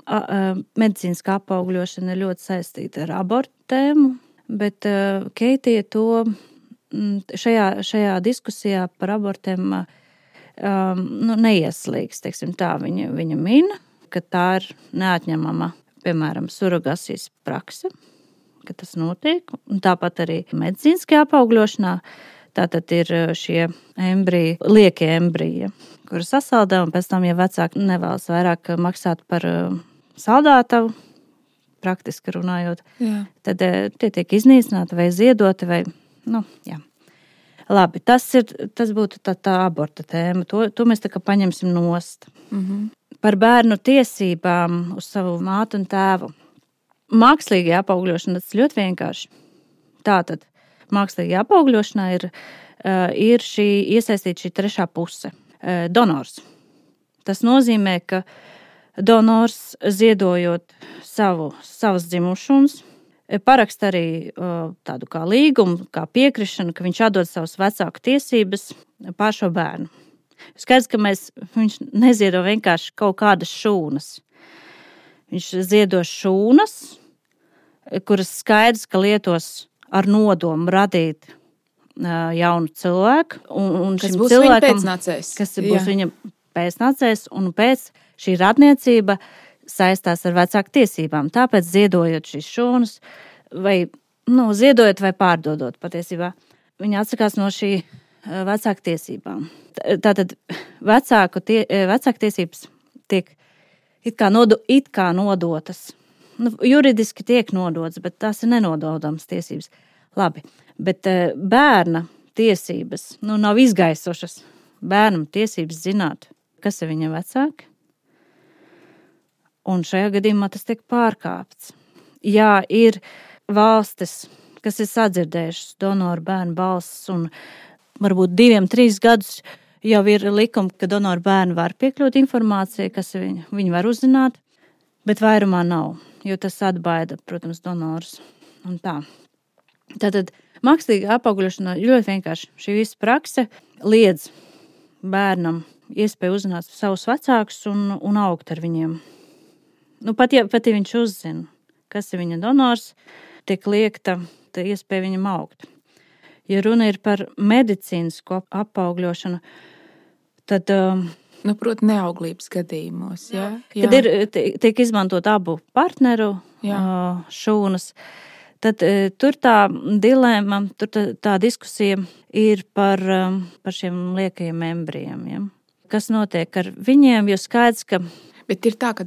[SPEAKER 2] medicīniskā apaugļošana ir ļoti saistīta ar abortu tēmu, bet Keitija to šajā, šajā diskusijā par abortiem Um, nu, neieslīgs, teiksim tā, viņa, viņa min, ka tā ir neatņemama, piemēram, surogāsijas prakse, ka tas notiek, un tāpat arī medicīniskajā apaugļošanā, tātad ir šie embriji, liekie embriji, kuri sasaldē, un pēc tam, ja vecāki nevēlas vairāk maksāt par saldētavu, praktiski runājot, jā. Tad tie tiek iznīcināti vai ziedoti, vai, nu, jā. Labi, tas, ir, tas būtu tā, tā aborta tēma. To, to mēs tā kā paņemsim nost. Mm-hmm. Par bērnu tiesībām uz savu mātu un tēvu. Mākslīgajā apaugļošanā tas ļoti vienkārši. Tātad, mākslīgajā apaugļošanā ir, ir šī iesaistīta šī trešā puse. Donors. Tas nozīmē, ka donors ziedojot savu, savas dzimušumus, paraksta arī tādu kā līgumu, kā piekrišanu, ka viņš atdod savus vecāku tiesības pār šo bērnu. Skaidrs, ka mēs, viņš neziedo vienkārši kaut kādas šūnas. Viņš ziedo šūnas, kuras skaidrs, ka lietos ar nodomu radīt jaunu cilvēku. Un, un
[SPEAKER 1] kas būs viņa pēcnācējs.
[SPEAKER 2] Kas būs Jā. Viņa pēcnācējs, un pēc šī radniecība saistās ar vecāku tiesībām. Tāpēc ziedojot šīs šūnas, vai, nu, ziedojot vai pārdodot patiesībā, viņa atsakās no šī vecāku tiesībām. Tātad vecāku, tie, vecāku tiesības tiek it kā, nodo, it kā nodotas. Nu, juridiski tiek nodotas, bet tās ir nenododams tiesības. Labi, bet bērna tiesības, nu, nav izgaisušas. Bērnam tiesības zināt, kas ir viņa vecāki. Un šajā gadījumā tas tiek pārkāpts. Jā, ir valstis, kas ir sadzirdējušas donoru bērnu balsis, un varbūt diviem, trīs gadus jau ir likumi, ka donoru bērni var piekļūt informācijai, kas viņi, viņi var uzzināt, bet vairumā nav, jo tas atbaida, protams, donors un tā. Tātad mākslīga apaugļošana ļoti vienkārši. Šī visa prakse liedz bērnam iespēju uzzināt savus vecākus un, un augt ar viņiem. Nu, pat, ja, pat ja viņš uzzina, kas ir viņa donors, tiek liekta iespēja viņam augt. Ja runa ir par medicīnisko apaugļošanu, tad...
[SPEAKER 1] Nu, proti, neauglības gadījumos, jā? jā.
[SPEAKER 2] Kad ir, tiek izmantot abu partneru jā. šūnas, tad tur tā dilēma, tur tā, tā diskusija ir par, par šiem liekajiem embrijiem. Ja? Kas notiek ar viņiem, jo skaidrs, ka
[SPEAKER 1] Bet ir tā, ka,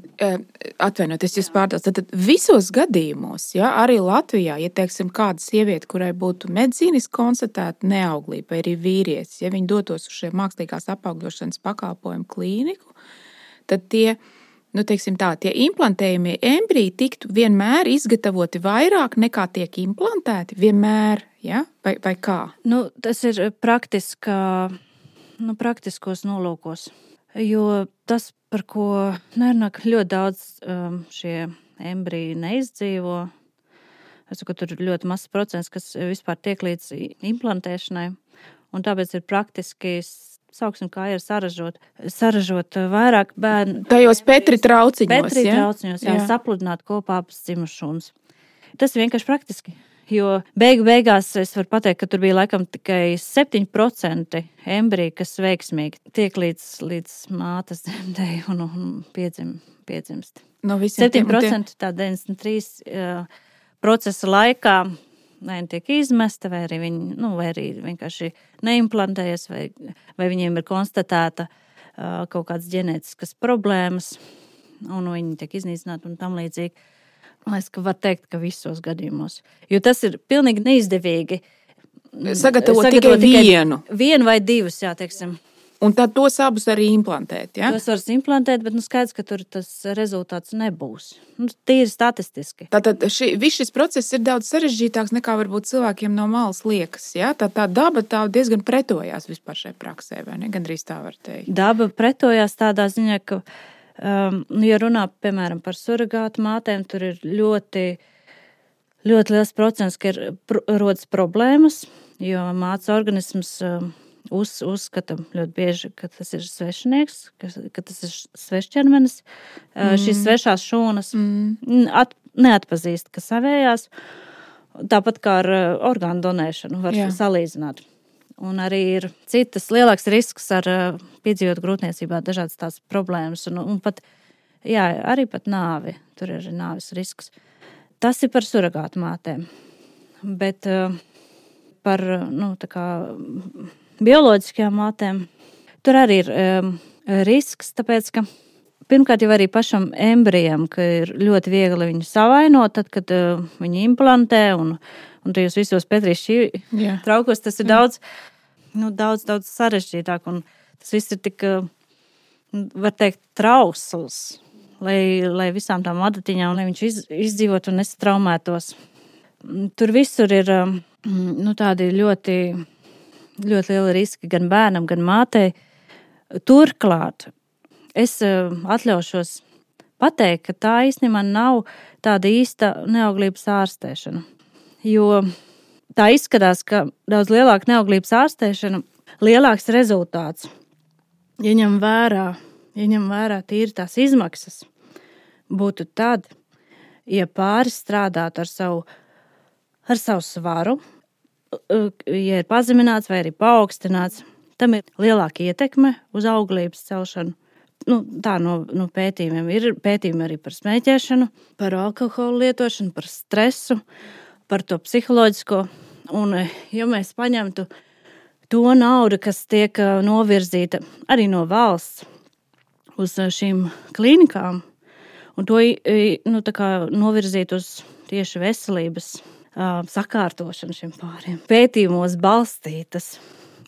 [SPEAKER 1] atvainoties, jūs pārdās, tad visos gadījumos, ja, arī Latvijā, ja teiksim kāda sieviete, kurai būtu medicīniski konstatēta neauglība, vai arī vīrietis, ja viņi dotos uz šiem mākslīgās apaugļošanas pakalpojumu klīniku, tad tie, nu, teiksim tā, tie implantējumie embriji tiktu vienmēr izgatavoti vairāk nekā tiek implantēti, vienmēr, ja, vai, vai kā?
[SPEAKER 2] Nu, tas ir praktiskā, nu, praktiskos nolūkos. Jo tas, par ko nerunā, ka ļoti daudz um, šie embriji neizdzīvo, es saku, ka tur ir ļoti mazs procents, kas vispār tiek līdz implantēšanai, un tāpēc ir praktiski, sauksim, kā ir saražot, saražot vairāk bērnu.
[SPEAKER 1] Tajos Petri trauciņos,
[SPEAKER 2] Petri
[SPEAKER 1] ja?
[SPEAKER 2] trauciņos, jā, jā. Sapludināt kopā abas dzimušunas. Tas ir vienkārši praktiski. Jo beigu beigās es varu pateikt, ka tur bija laikam tikai septiņi procenti embriju, kas veiksmīgi tiek līdz, līdz mātes dzemdēji un, un piedzim, piedzimst.
[SPEAKER 1] No
[SPEAKER 2] septiņi procenti tā deviņdesmit trīs uh, procesa laikā vai tiek izmesta, vai arī viņi, nu, vai arī vienkārši neimplantējas, vai, vai viņiem ir konstatēta uh, kaut kādas ģenētiskas problēmas, un viņi tiek iznīcināti un tam līdzīgi. Es var teikt, ka visos gadījumos. Jo tas ir pilnīgi neizdevīgi.
[SPEAKER 1] Sagatavot, sagatavot tikai vienu.
[SPEAKER 2] Vienu vai divus, jā, teiksim.
[SPEAKER 1] Un tad tos abus arī implantēt, ja?
[SPEAKER 2] Tos var implantēt, bet nu skaidrs, ka tur tas rezultāts nebūs. Nu, tīri statistiski.
[SPEAKER 1] Tātad ši, viss šis process ir daudz sarežģītāks nekā varbūt cilvēkiem no malas liekas, ja? Tā, tā daba tā diezgan pretojās vispār šai praksē, vai ne? Gandrīz tā var teikt.
[SPEAKER 2] Daba pretojās tādā ziņā, ka Um, ja runā, piemēram, par surrogātu mātēm, tur ir ļoti, ļoti liels procents, ka ir pr- rodas problēmas, jo mātes organisms um, uz, uzskata ļoti bieži, ka tas ir svešinieks, ka, ka tas ir svešķermenis. Mm. Uh, šīs svešās šūnas mm. at, neatpazīst, ka savējās. Tāpat kā ar uh, orgānu donēšanu var Jā. salīdzināt. Un arī ir citas lielāks risks ar uh, piedzīvot grūtniecībā dažādas tās problēmas un, un pat, jā, arī pat nāvi. Tur ir nāvis risks. Tas ir par surrogātu mātēm. Bet uh, par, nu, tā kā bioloģiskajām mātēm tur arī ir um, risks, tāpēc, ka pirmkārt jau arī pašam embrijam, ka ir ļoti viegli viņu savainot, tad, kad uh, viņi implantē un, un tajos visos Petrīša traukos, tas ir Jā. daudz, nu, daudz, daudz sarežģītāk. Un tas viss ir tik, var teikt, trausls, lai, lai visām tām adatiņām, lai viņš iz, izdzīvot un nesatraumētos. Tur visur ir nu, tādi ļoti, ļoti lieli riski gan bērnam, gan mātei. Turklāt es atļaušos pateikt, ka tā īstenībā nav tāda īsta neauglības ārstēšana. Jo tā izskatās, ka daudz lielāka neauglības ārstēšana, lielāks rezultāts, ja ņem vērā, ja ņem vērā tīri tās izmaksas, būtu tad, ja pāris strādātu ar savu, ar savu svaru, ja ir pazemināts vai arī paaugstināts, tam ir lielāka ietekme uz auglības celšanu. Nu, tā no, no pētījumiem ir pētījumi arī par smēķēšanu, par alkoholu lietošanu, par stresu, par to psiholoģisko. Un, ja mēs paņemtu to naudu, kas tiek novirzīta arī no valsts uz šīm klīnikām, un to nu, tā kā novirzīt uz tieši veselības uh, sakārtošana šiem pāriem, pētījumos balstītas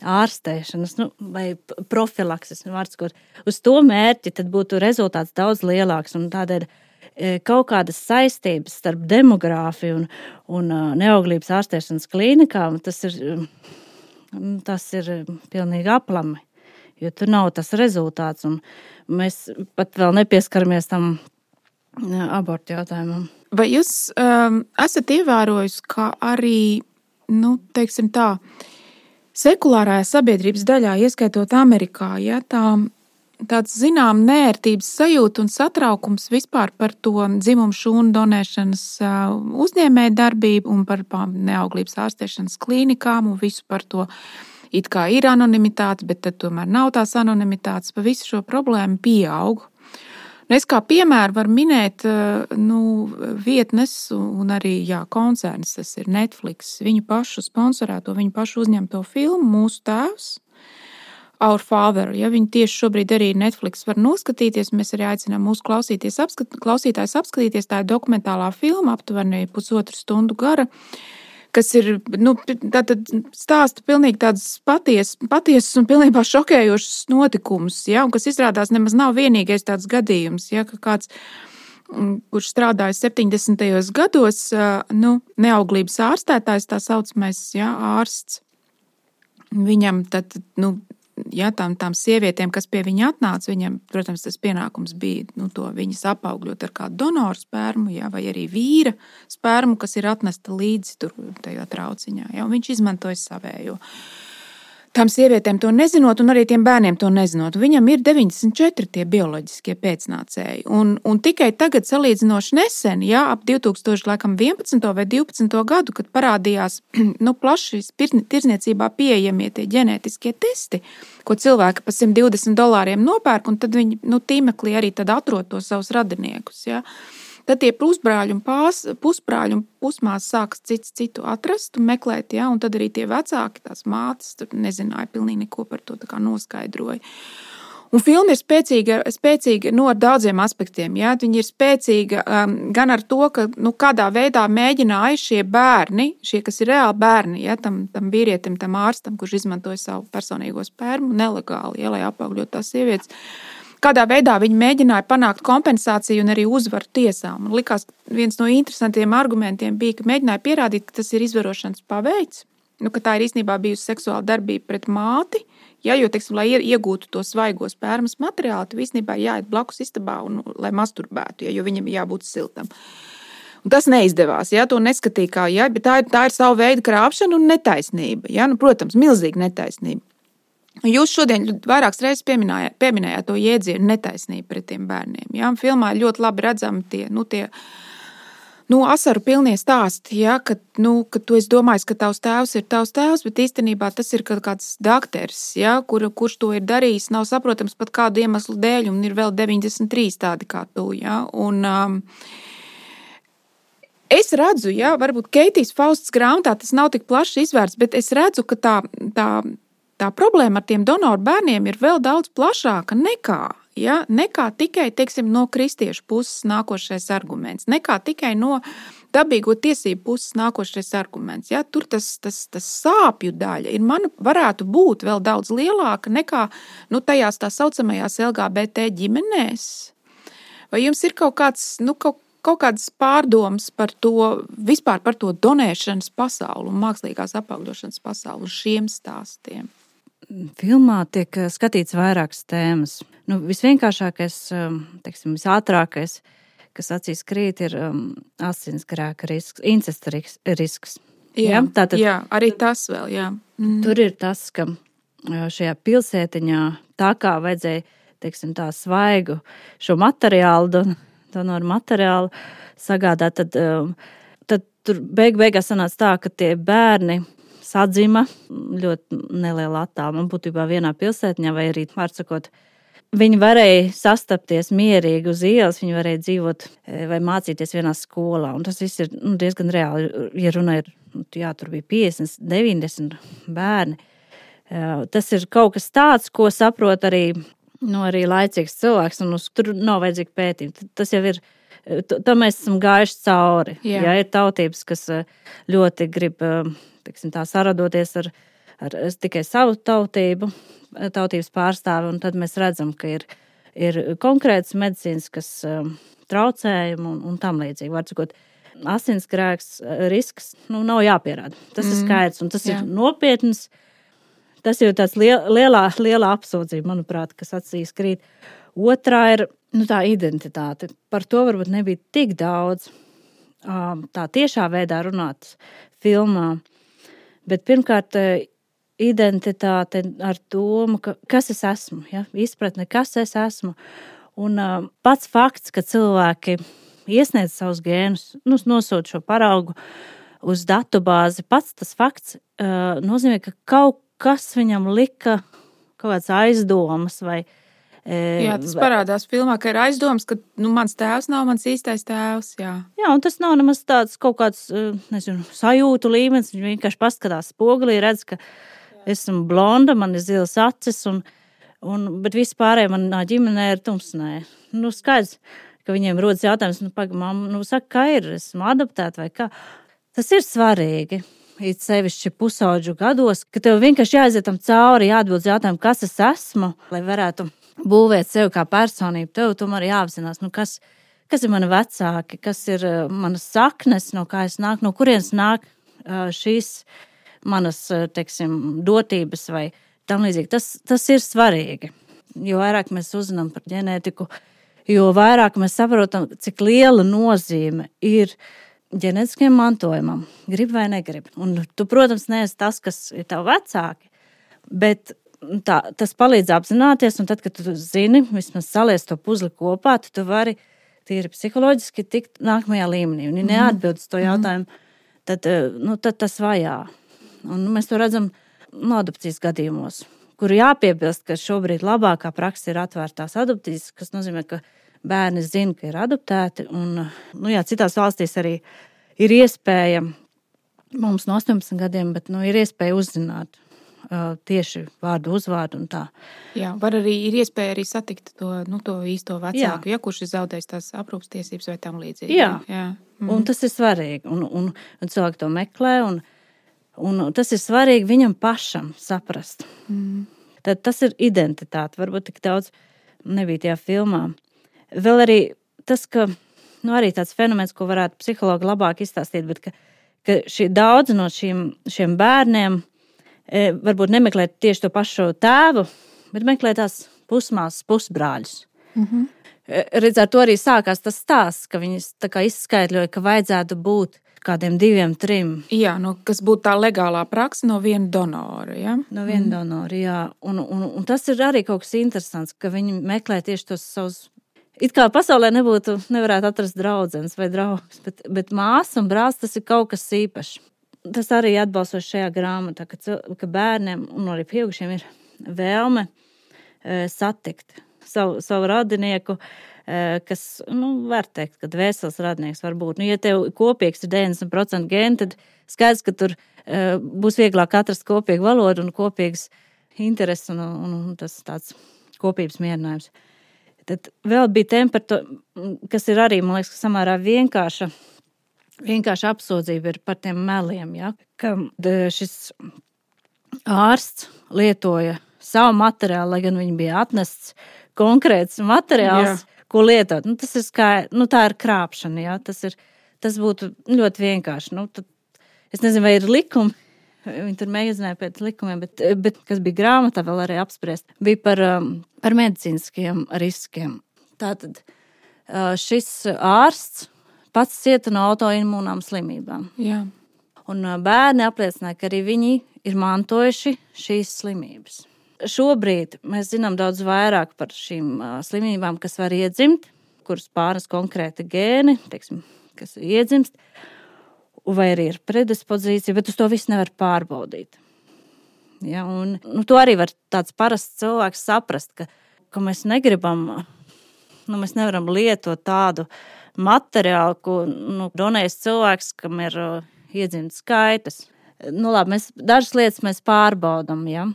[SPEAKER 2] ārstēšanas, nu, vai profilakses, nu, vārds, kur uz to mērķi, tad būtu rezultāts daudz lielāks, un tādēļ kaut kādas saistības starp demogrāfiju un, un neauglības ārstēšanas klīnikām, tas ir, tas ir pilnīgi aplami, jo tur nav tas rezultāts, un mēs pat vēl nepieskaramies tam abortu jautājumam.
[SPEAKER 1] Vai jūs um, esat ievērojis, ka arī, nu, teiksim tā, sekulārajā sabiedrības daļā, ieskaitot Amerikā, ja, tā, tāds zinām nērtības sajūta un satraukums vispār par to dzimumu šūnu donēšanas uzņēmēju darbību un par neauglības ārstēšanas klīnikām un visu par to, it kā ir anonimitāte, bet tad tomēr nav tās anonimitātes, pa visu šo problēmu pieaug. Es kā piemēru varu minēt nu, vietnes un arī jā, koncerns, tas ir Netflix, viņu pašu sponsorēto, viņu pašu uzņemto filmu Mūsu tēvs, Our Father. Ja viņi tieši šobrīd arī Netflix var noskatīties, mēs arī aicinām mūsu klausīties, apskat, klausītājs apskatīties, tā ir dokumentālā filma, aptuveni pusotru stundu gara, kas ir, nu, tātad stāsta pilnīgi tādas patiesas, patiesas un pilnībā šokējošas notikumus, ja, un kas izrādās nemaz nav vienīgais tāds gadījums, ja, ka kāds, kurš strādāja septiņdesmitajos gados, nu, neauglības ārstētājs, tā saucamais, ja, ārsts, viņam tad, nu, ja, tām, tām sievietēm, kas pie viņa atnāca, viņam, protams, tas pienākums bija nu, to viņas apaugļot ar kādu donoru spermu, ja, vai arī vīra spermu, kas ir atnesta līdzi tur tajā trauciņā. Ja, un viņš izmantoja savējo. Tām sievietēm to nezinot, un arī tiem bērniem to nezinot. Viņam ir deviņdesmit četri tie bioloģiskie pēcnācēji. Un, un tikai tagad salīdzinoši nesen, ja, ap divi tūkstoši vienpadsmito vai divpadsmito gadu, kad parādījās nu, plaši tirzniecībā pieejamie tie ģenētiskie testi, ko cilvēki pa simt divdesmit dolāriem nopērk, un tad viņi nu, tīmeklī arī tad atrod tos savus radiniekus. Ja. Tad tie pusbrāļi un pās, pusbrāļi un pusmās sākas cits citu atrast un meklēt, ja, un tad arī tie vecāki, tās mātes, tur nezināja pilnīgi neko par to, tā kā noskaidroja. Un filma ir spēcīga, spēcīga no daudziem aspektiem, ja, viņi ir spēcīga um, gan ar to, ka, nu, kādā veidā mēģināja šie bērni, šie, kas ir reāli bērni, ja, tam, tam vīrietim, tam ārstam, kurš izmantoja savu personīgo spermu nelegāli, ja, lai apaugļot tās sievietes, kādā veidā viņi mēģināja panākt kompensāciju un arī uzvaru tiesā. Man likās, viens no interesantiem argumentiem bija, ka mēģināja pierādīt, ka tas ir izvarošanas paveids, nu, ka tā ir īstenībā bijusi seksuāla darbība pret māti, ja, jo, teiksim, lai iegūtu to svaigo spermas materiālu, tu īstenībā jāiet blakus istabā un lai masturbētu, ja, jo viņam jābūt siltam. Un tas neizdevās, ja, to neskatīja kā, ja, bet tā ir, tā ir savu veidu krāpšana un netaisnība, ja, nu, protams, milzīga netaisnība. Jūs šodien vairākas reizes pieminējāt, pieminējāt to jēdzienu netaisnību pret tiem bērniem. Ja? Filmā ļoti labi redzami tie, nu, tie nu, asaru pilnie stāsti, ja? Ka, nu, ka tu esi domājis, ka tavs tēvs ir tavs tēvs, bet īstenībā tas ir kāds dakteris, ja? Kur, kurš to ir darījis, nav saprotams pat kādu iemeslu dēļ, un ir vēl deviņdesmit trīs tādi kā tu. Ja? Un, um, es redzu, ja? Varbūt Keitijas Faustas grāmatā tas nav tik plaši izvērts, bet es redzu, ka tā... tā Tā problēma ar tiem donoru bērniem ir vēl daudz plašāka nekā, ja, nekā tikai, teiksim, no kristiešu puses nākošais arguments, nekā tikai no dabīgo tiesību puses nākošais arguments. Ja. Tur tas, tas, tas sāpju daļa ir, man varētu būt vēl daudz lielāka nekā nu, tajās tā saucamajās L G B T ģimenēs. Vai jums ir kaut kāds, nu, kaut kaut kādas pārdomas par to, vispār par to donēšanas pasauli un mākslīgās apaugļošanas pasauli uz šiem stāstiem?
[SPEAKER 2] Filmā tiek skatīts vairākas tēmas. Nu, visvienkāršākais, teiksim, visātrākais, kas acīs krīt, ir um, asinsgrēka risks, incesta risks.
[SPEAKER 1] Jā, ja? Tātad, jā, arī tas vēl, jā.
[SPEAKER 2] Mm. Tur ir tas, ka šajā pilsētiņā tā kā vajadzēja, teiksim, tā svaigu šo materiālu, don, donoru materiālu sagādāt, tad, tad tur beig beigās sanāca tā, ka tie bērni sadzima ļoti neliela attāluma. Man būtībā vienā pilsētiņā vai arī, vārdsakot, viņi varēja sastapties mierīgi uz ielas, viņi varēja dzīvot vai mācīties vienā skolā. Un tas viss ir nu, diezgan reāli. Ja runa ir, jā, tur bija piecdesmit, deviņdesmit bērni. Tas ir kaut kas tāds, ko saprot arī, nu, arī laicīgs cilvēks, un uz, tur nav vajadzīgi pētījumi. Tas jau ir tam mēs esam gājuši cauri.
[SPEAKER 1] Jā.
[SPEAKER 2] Ja ir tautības, kas ļoti grib, teiksim, tā saradoties ar, ar tikai savu tautību, tautības pārstāvi, un tad mēs redzam, ka ir, ir konkrēts medicīniskas traucējumi un, un tam līdzīgi. Var cikot, asinsgrēks, risks, nu, nav jāpierāda. Tas mm. ir skaidrs, un tas Jā. Ir nopietns. Tas ir tāds liel, lielā, lielā apsūdzība, manuprāt, kas acīs krīt. Otrā ir nu, tā identitāte. Par to varbūt nebija tik daudz tā tiešā veidā runāts filmā. Bet pirmkārt, identitāte ar domu, ka, kas es esmu. Ja? Izpratne, kas es esmu. Un pats fakts, ka cilvēki iesniedz savus gēnus, nu, nosūta šo paraugu uz datubāzi, pats tas fakts nozīmē, ka kaut kas viņam lika kaut kāds aizdomas vai...
[SPEAKER 1] E, jā, tas parādās filmā, ka ir aizdomas, ka nu, mans tēvs nav mans īstais tēvs, jā.
[SPEAKER 2] Jā, un tas nav nemaz tāds kaut kāds, nezinu, sajūtu līmenis, viņš vienkārši paskatās spogulī, redz, ka esmu blonda, man ir zilas acis, un, un, bet visi pārējie manā ģimenē ir tumsnē. Nu, skaidrs, ka viņiem rodas jautājums, nu, paga, mamma, nu, saka, kā ir, esmu adaptēta vai kā. Tas ir svarīgi. It sevišķi pusauģu gados, ka tev vienkārši jāaiziet tam cauri, jāatbild jautājumu, kas es esmu, lai varētu būvēt sevi kā personību. Tev tomēr jāapzinās, nu kas, kas ir mani vecāki, kas ir manas saknes, no kā es nāku, no kurienes nāk šīs manas, teiksim, dotības vai tam līdzīgi. Tas, tas ir svarīgi. Jo vairāk mēs uzzinām par ģenētiku, jo vairāk mēs saprotam, cik liela nozīme ir ģenētiskiem mantojumam, grib vai negrib. Un tu, protams, neesi tas, kas ir tavi vecāki, bet tā, tas palīdz apzināties, un tad, kad tu zini, vismaz saliec to puzli kopā, tu, tu vari tīri psiholoģiski tikt nākamajā līmenī. Un ja neatbild uz to jautājumu, tad, nu, tad tas vajā. Un mēs to redzam no adopcijas gadījumos, kur jāpiebilst, ka šobrīd labākā praksa ir atvērtās adopcijas, kas nozīmē, ka bērni zina, ka ir adoptēti, un nu jā, citās valstīs arī ir iespēja, mums no astoņpadsmit gadiem, bet nu, ir iespēja uzzināt uh, tieši vārdu uzvārdu un tā.
[SPEAKER 1] Jā, var arī, ir iespēja arī satikt to, nu, to īsto vecāku, ja kurš ir zaudējis tās aprūpstiesības vai tam līdzīgi.
[SPEAKER 2] Jā,
[SPEAKER 1] jā. Mm.
[SPEAKER 2] Un tas ir svarīgi, un, un, un cilvēki to meklē, un, un tas ir svarīgi viņam pašam saprast. Mm. Tad tas ir identitāte, varbūt tik daudz nebija tajā filmā. Vēl arī tas, ka nu, arī tāds fenomens, ko varētu psihologi labāk izstāstīt, bet ka, ka šī daudz no šiem, šiem bērniem e, varbūt nemeklē tieši to pašu tēvu, bet meklē tās pusmāsas, pusbrāļus. Mm-hmm. E, redz, ar to arī sākās tas stāsts, ka viņi tā kā izskaidroja, ka vajadzētu būt kādiem diviem, trim.
[SPEAKER 1] Jā, no, kas būtu tā legālā praksa no viena donora, ja?
[SPEAKER 2] No viena mm. donora, jā. Un, un, un tas ir arī kaut kas interesants, ka viņi meklē tieši tos savus. It kā pasaulē nebūtu, nevarētu atrast draudzenes vai draugus, bet, bet māsa un brālis tas ir kaut kas īpašs. Tas arī atbalstoši šajā grāmatā, ka, ka bērniem un arī pieaugušiem ir vēlme e, satikt savu, savu radinieku, e, kas, nu, var teikt, ka dvēseles radinieks var būt. Nu, ja tev kopīgs ir deviņdesmit procenti gēni, tad skaidrs, ka tur e, būs vieglāk atrast kopīgu valodu un kopīgas intereses un, un, un tas tāds kopības mierinājums. Tad vēl bija tēma par to, kas ir arī, man liekas, samērā vienkārša, vienkārša apsūdzība ir par tiem meliem, ja? Ka šis ārsts lietoja savu materiālu, lai gan viņi bija atnests konkrēts materiāls, jā. Ko lietot. Nu, tas ir kā, nu, tā ir krāpšana, ja? Tas ir, tas būtu ļoti vienkārši. Nu, tad, es nezinu, vai ir likumi, viņi tur mēģināja pēc likumiem, bet, bet kas bija grāmatā vēl arī apspriest, bija par, par medicīniskiem riskiem. Tātad šis ārsts pats cieta no autoimūnām slimībām.
[SPEAKER 1] Jā.
[SPEAKER 2] Un bērni apliecināja, ka arī viņi ir mantojuši šīs slimības. Šobrīd mēs zinām daudz vairāk par šīm slimībām, kas var iedzimt, kuras pārnes konkrēti gēni, teiksim, kas iedzimst, vai arī ir predispozīcija, bet uz to visu nevar pārbaudīt. Ja, un, nu, to arī var tāds parasts cilvēks saprast, ka, ka mēs negribam, nu, mēs nevaram lietot tādu materiālu, ko nu, donējas cilvēks, kam ir uh, iedzimts skaitas. nu labi, mēs dažas lietas mēs pārbaudam, ja,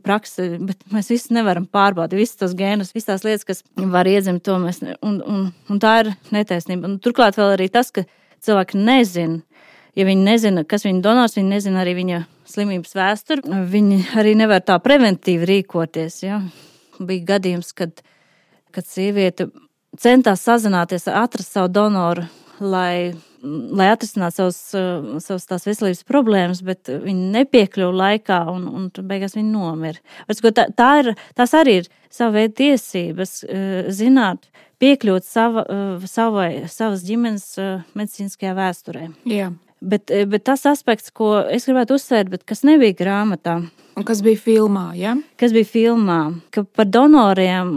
[SPEAKER 2] praksi, bet mēs visi nevaram pārbaudīt, visas tos gēnus, visas tās lietas, kas var iedzimt, to mēs, ne, un, un, un tā ir netaisnība. Un turklāt vēl arī tas, ka cilvēki nezina, ja viņi nezina, kas viņa donors, viņi nezina arī viņa slimības vēsturi, viņi arī nevar tā preventīvi rīkoties, ja. Bija gadījums, kad, kad sieviete centās sazināties, atrast savu donoru, lai, lai atrisinātu savus, savus tās veselības problēmas, bet viņi nepiekļuva laikā un, un beigās viņi nomira. Tā, tā ir, tās arī ir sava veida tiesības zināt, piekļūt sava, savai, savas ģimenes medicīniskajā vēsturē.
[SPEAKER 1] Jā.
[SPEAKER 2] Bet, bet tas aspekts, ko es gribētu uzsvērt, bet kas nebija grāmatā.
[SPEAKER 1] Un kas bija filmā, ja?
[SPEAKER 2] Kas bija filmā, ka par donoriem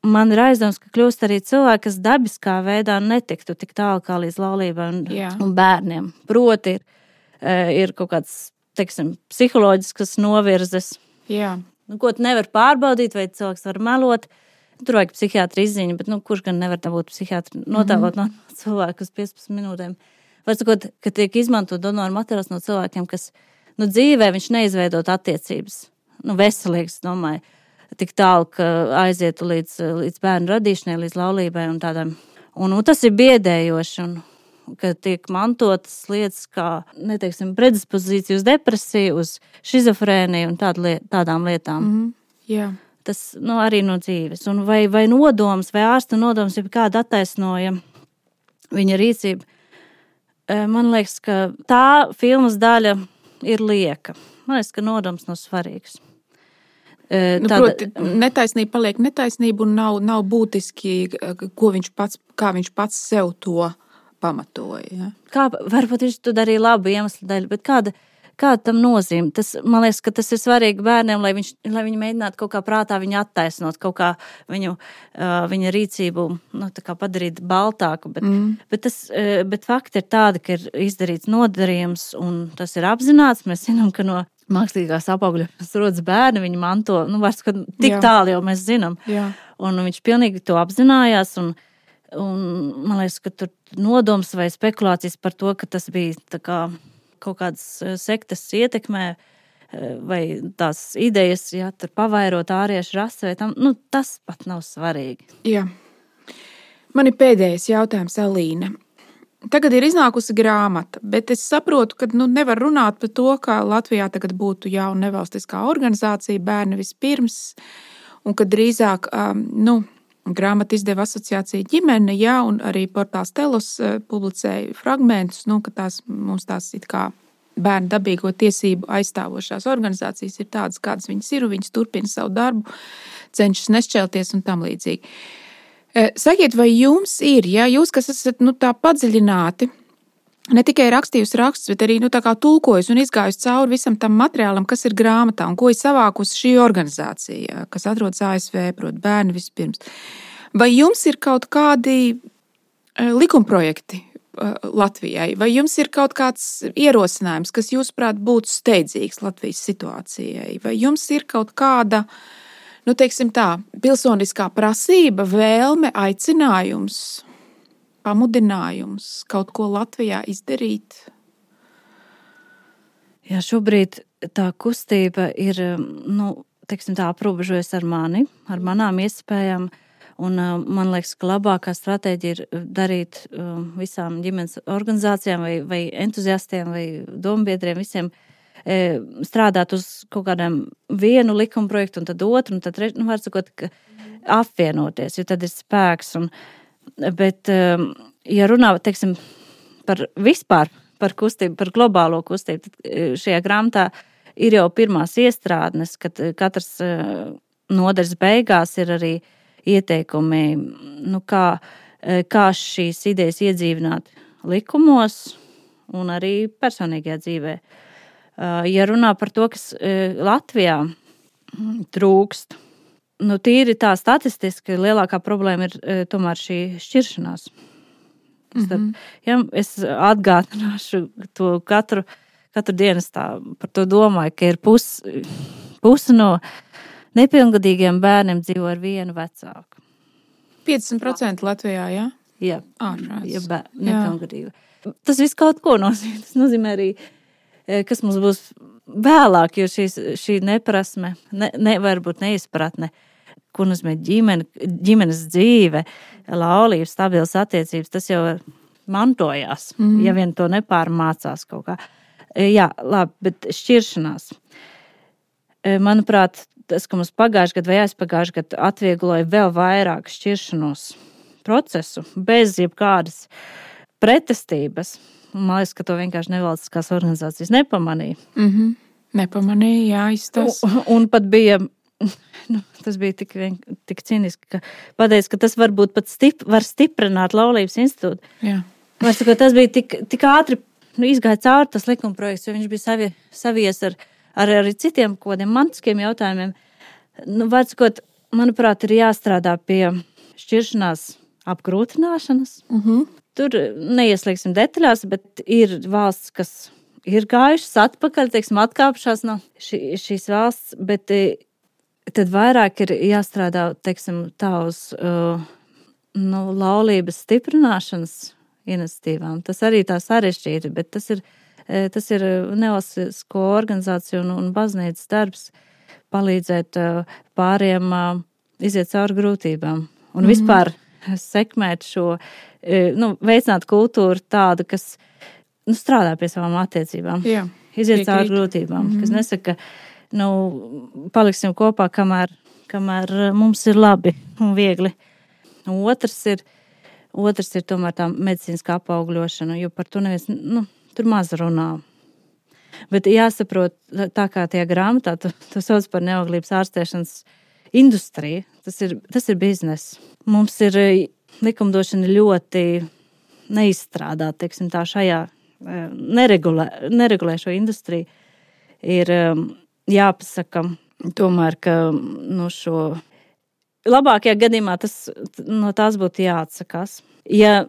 [SPEAKER 2] man ir aizdoms, ka kļūst arī cilvēki, kas dabiskā veidā netiktu tik tālu kā līdz laulībai un, un bērniem. Proti ir, ir kaut kāds, teiksim, psiholoģiskas novirzes.
[SPEAKER 1] Jā.
[SPEAKER 2] Nu, ko tu nevar pārbaudīt, vai cilvēks var melot. Tur vajag psihiatri izziņu, bet nu, kurš gan nevar tā būt psihiatri notēlot mm. no cilvēku uz piecpadsmit minūtēm. Vai sakot, ka tiek izmantot donoru materiāls no cilvēkiem, kas nu, dzīvē viņš neizveidot attiecības. Nu, veselīgs, domāju. Tik tālu, ka aizietu līdz, līdz bērnu radīšanai, līdz laulībai un tādām. Un, un tas ir biedējoši, un ka tiek mantotas lietas kā, neteiksim, predispozīcija uz depresiju, uz šizofrēniju un tād liet, tādām lietām.
[SPEAKER 1] Mm, jā.
[SPEAKER 2] Tas nu, arī no dzīves. Un vai, vai nodoms, vai ārsta nodoms, ja kāda attaisnoja viņa rīcību. Man liekas, ka tā filmas daļa ir lieka. Man liekas, ka nodoms nav svarīgs.
[SPEAKER 1] Nu, Tāda, proti, netaisnība paliek netaisnība un nav, nav būtiski, ko viņš pats, kā viņš pats sev to pamatoja. Ja?
[SPEAKER 2] Kā, varbūt viņš to darīja labu iemeslu dēļ, bet kāda, kāda tam nozīme? Tas, man liekas, ka tas ir svarīgi bērniem, lai, viņš, lai viņi mēģinātu kaut kā prātā viņu attaisnot, kaut kā viņu, viņa rīcību nu, tā kā padarīt baltāku. Bet, mm. bet, tas, bet fakti ir tādi, ka ir izdarīts nodarījums un tas ir apzināts. Mēs zinām, ka no mākslīgās apaugļas rodas bērni, viņi manto, nu, vairs, ka tik Jā. Tālu jau mēs zinām.
[SPEAKER 1] Jā.
[SPEAKER 2] Un viņš pilnīgi to apzinājās, un, un man liekas, ka tur nodoms vai spekulācijas par to, ka tas bija tā kā kaut kādas sektas ietekmē, vai tās idejas, ja, tur pavairot āriešu rasi, vai tam, nu, tas pat nav svarīgi.
[SPEAKER 1] Jā. Man ir pēdējais jautājums, Alīna. Tagad ir iznākusi grāmata, bet es saprotu, ka nu, nevar runāt par to, ka Latvijā tagad būtu jauna nevalstiskā organizācija Bērni vispirms, un ka drīzāk um, nu, grāmata izdeva asociācija ģimene, jā, un arī portāls Telos uh, publicēja fragmentus, nu, ka tās mums tās it kā bērnu dabīgo tiesību aizstāvošās organizācijas ir tādas, kādas viņas ir, un viņas turpina savu darbu, cenšas nešķelties un tam līdzīgi. Sakiet, vai jums ir, ja jūs, kas esat nu, tā padziļināti, ne tikai rakstījusi rakstus, bet arī nu, tā kā tulkojusi un izgājusi cauri visam tam materiālam, kas ir grāmatā un ko ir savākusi šī organizācija, kas atrodas A S V, proti Bērni vispirms. Vai jums ir kaut kādi likumprojekti Latvijai, vai jums ir kaut kāds ierosinājums, kas jūsuprāt būtu steidzīgs Latvijas situācijai, vai jums ir kaut kāda nu, teiksim tā, pilsoniskā prasība, vēlme, aicinājums, pamudinājums kaut ko Latvijā izdarīt?
[SPEAKER 2] Jā, šobrīd tā kustība ir, nu, teiksim tā, aprobežojas ar mani, ar manām iespējām, un man liekas, ka labākā stratēģija ir darīt visām ģimenes organizācijām vai, vai entuziastiem vai dombiedriem visiem strādāt uz kaut kādiem vienu likuma projektu un tad otru, un tad, nu, var sakot, ka apvienoties, jo tad ir spēks. Un, bet, ja runā, teiksim, par vispār, par kustību, par globālo kustību, tad šajā grāmatā ir jau pirmās iestrādnes, kad katrs nodaļas beigās ir arī ieteikumi, nu, kā, kā šīs idejas iedzīvināt likumos un arī personīgajā dzīvē. Ja runā par to, kas Latvijā trūkst, nu tīri tā statistiski lielākā problēma ir tomēr šī šķiršanās. Mm-hmm. Ja, es atgādināšu to katru, katru dienu tā par to domāju, ka ir pus, pusi no nepilngadīgiem bērniem dzīvo ar vienu vecāku.
[SPEAKER 1] piecdesmit procenti Latvijā, jā?
[SPEAKER 2] Jā,
[SPEAKER 1] ārprāts.
[SPEAKER 2] Ja bēr, nepilngadīgi. Tas viss kaut ko nozīmē. Tas nozīmē arī kas mums būs vēlāk, jo šīs, šī neprasme, ne, ne, varbūt neizpratne, ko nozīmē ģimene, ģimenes dzīve, laulības, stabilas attiecības, tas jau mantojās, mm. ja vien to nepārmācās kaut kā. Jā, labi, bet šķiršanās. Manuprāt, tas, ka mums pagājuši gadu vai aizpagājuši gadu atviegloja vēl vairāk šķiršanos procesu, bez jebkādas pretestības. Man liekas, ka to vienkārši nevalstiskās organizācijas nepamanīja.
[SPEAKER 1] Mm-hmm. Nepamanīja, jā, izstas.
[SPEAKER 2] Un, un pat bija, nu, tas bija tik, vien, tik cīniski, ka pateica, ka tas varbūt pat stip, var stiprināt laulības institūtu.
[SPEAKER 1] Jā.
[SPEAKER 2] Varbūt, tas bija tik, tik ātri, nu, izgāja cauri tas likumprojekts, jo viņš bija savi, savies ar ar arī citiem kodiem mantiskiem jautājumiem. Nu, varbūt, manuprāt, ir jāstrādā pie šķiršanās apgrūtināšanas. Uh-huh. Tur neieslīgsim detaļās, bet ir valsts, kas ir gājušas atpakaļ, teiksim, atkāpšās no šī, šīs valsts, bet tad vairāk ir jāstrādā, teiksim, tā uz uh, nu, laulības stiprināšanas iniciatīvām. Tas arī tā sarežģīti, bet tas ir Tas ir nevalstisko organizāciju un, un baznīcas darbs palīdzēt pāriem iziet cauri grūtībām. Un mm-hmm. vispār sekmēt šo, nu, veicināt kultūru tādu, kas nu, strādā pie savām attiecībām.
[SPEAKER 1] Jā,
[SPEAKER 2] iziet cauri grūtībām. Mm-hmm. Kas nesaka, nu, paliksim kopā, kamēr, kamēr mums ir labi un viegli. Un otrs ir, otrs ir tomēr tā medicīniskā apaugļošana, jo par to neviens, nu, tur maz runā. Bet jāsaprot, tā kā tajā grāmatā, tu, tu sauc par neauglības ārstēšanas industriju, tas ir, tas ir biznes. Mums ir likumdošana ļoti neizstrādāta, teiksim tā, šajā neregulē, neregulē šo industriju. Ir jāpasaka tomēr, ka no šo labākajā gadījumā tas, no tās būtu jāatsakās. Ja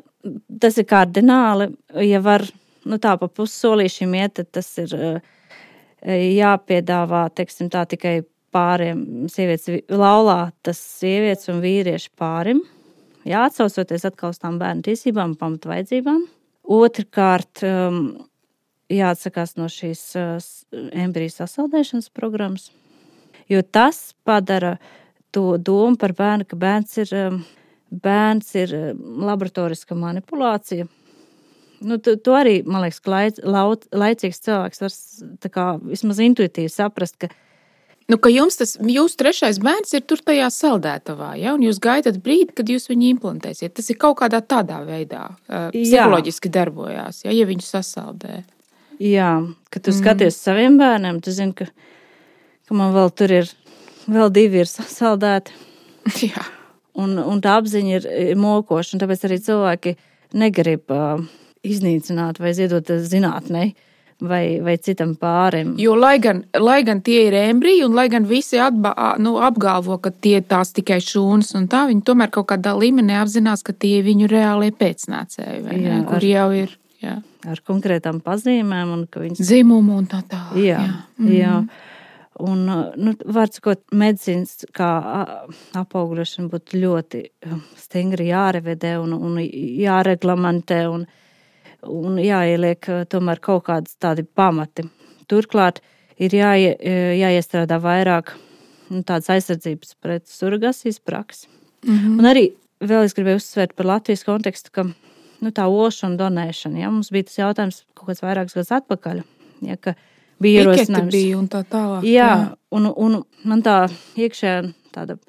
[SPEAKER 2] tas ir kardināli, ja var nu tā pa pussolīšiem iet, tad tas ir jāpiedāvā, teiksim tā, tikai pāriem sievietes laulā, tas sievietes un vīrieši pārim, jāatsaucoties atkal uz tām bērnu tiesībām un pamatvajadzībām. Otrkārt, jāatsakās no šīs embriju sasaldēšanas programmas, jo tas padara to domu par bērnu, ka bērns ir, bērns ir laboratoriska manipulācija. Nu, to, to arī, man liekas, ka laic, laut, laicīgs cilvēks var tā kā vismaz intuitīvi saprast, ka
[SPEAKER 1] Nu, ka jums tas, jūsu trešais bērns ir tur tajā saldētavā, ja? Un jūs gaidat brīdi, kad jūs viņu implantēsiet. Tas ir kaut kādā tādā veidā uh, psiholoģiski darbojās, ja, ja viņu sasaldē.
[SPEAKER 2] Jā, kad tu mm. skaties saviem bērniem, tu zini, ka, ka man vēl tur ir, vēl divi ir sasaldēti.
[SPEAKER 1] Jā.
[SPEAKER 2] Un, un tā apziņa ir, ir mokoša, un tāpēc arī cilvēki negrib uh, iznīcināt vai ziedot zinātnei. Vai, vai citam pārim.
[SPEAKER 1] Jo, lai gan, lai gan tie ir embriji, un lai gan visi atba, nu, apgalvo, ka tie tās tikai šūnas, un tā, viņi tomēr kaut kādā līmenī apzinās, ka tie ir viņu reālie pēcnācēji, vai jā, ne, kur ar, jau ir. Jā.
[SPEAKER 2] Ar konkrētām pazīmēm. Un ka viņas...
[SPEAKER 1] Dzimumu un tā tā.
[SPEAKER 2] Jā, jā. Mm. jā. Un, nu, var sakot, medicīnas kā apaugļošana būtu ļoti stingri jārevedē un, un jāreglamentē un un jāieliek tomēr kaut kādas tādi pamati. Turklāt ir jāie, jāiestrādā vairāk nu, tādas aizsardzības pret surrogasijas praksi. Mm-hmm. Un arī vēl es gribēju uzsvērt par Latvijas kontekstu, ka nu, tā ošu un donēšana, ja, mums bija tas jautājums kaut kāds vairākus gadus atpakaļ, ja, ka bija ierosinājums.
[SPEAKER 1] Bija un tā tālāk.
[SPEAKER 2] Jā, jā. Un, un man tā iekšējā tāda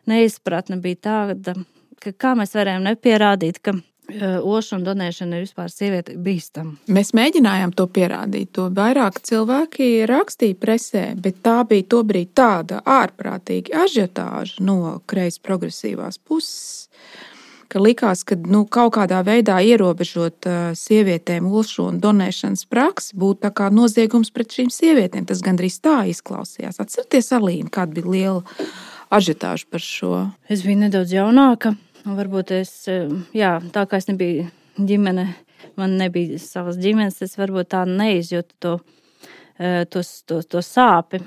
[SPEAKER 2] neizpratne bija tāda, ka kā mēs varējām nepierādīt, ka ošu un donēšana ir vispār sieviete bīstama.
[SPEAKER 1] Mēs mēģinājām to pierādīt. To vairāk cilvēki rakstīja presē, bet tā bija tobrīd tāda ārprātīga ažiotāža no kreis progresīvās puses, ka likās, ka nu, kaut kādā veidā ierobežot sievietēm ošu un donēšanas praksi būtu tā kā noziegums pret šīm sievietēm. Tas gandrīz tā izklausījās. Atcerieties, Alīna, kāda bija liela ažiotāža par šo?
[SPEAKER 2] Es biju nedaudz jaunāka. Varbūt es, jā, tā kā es nebiju ģimene, man nebija savas ģimenes, es varbūt tā neizjūtu to, to, to, to sāpi.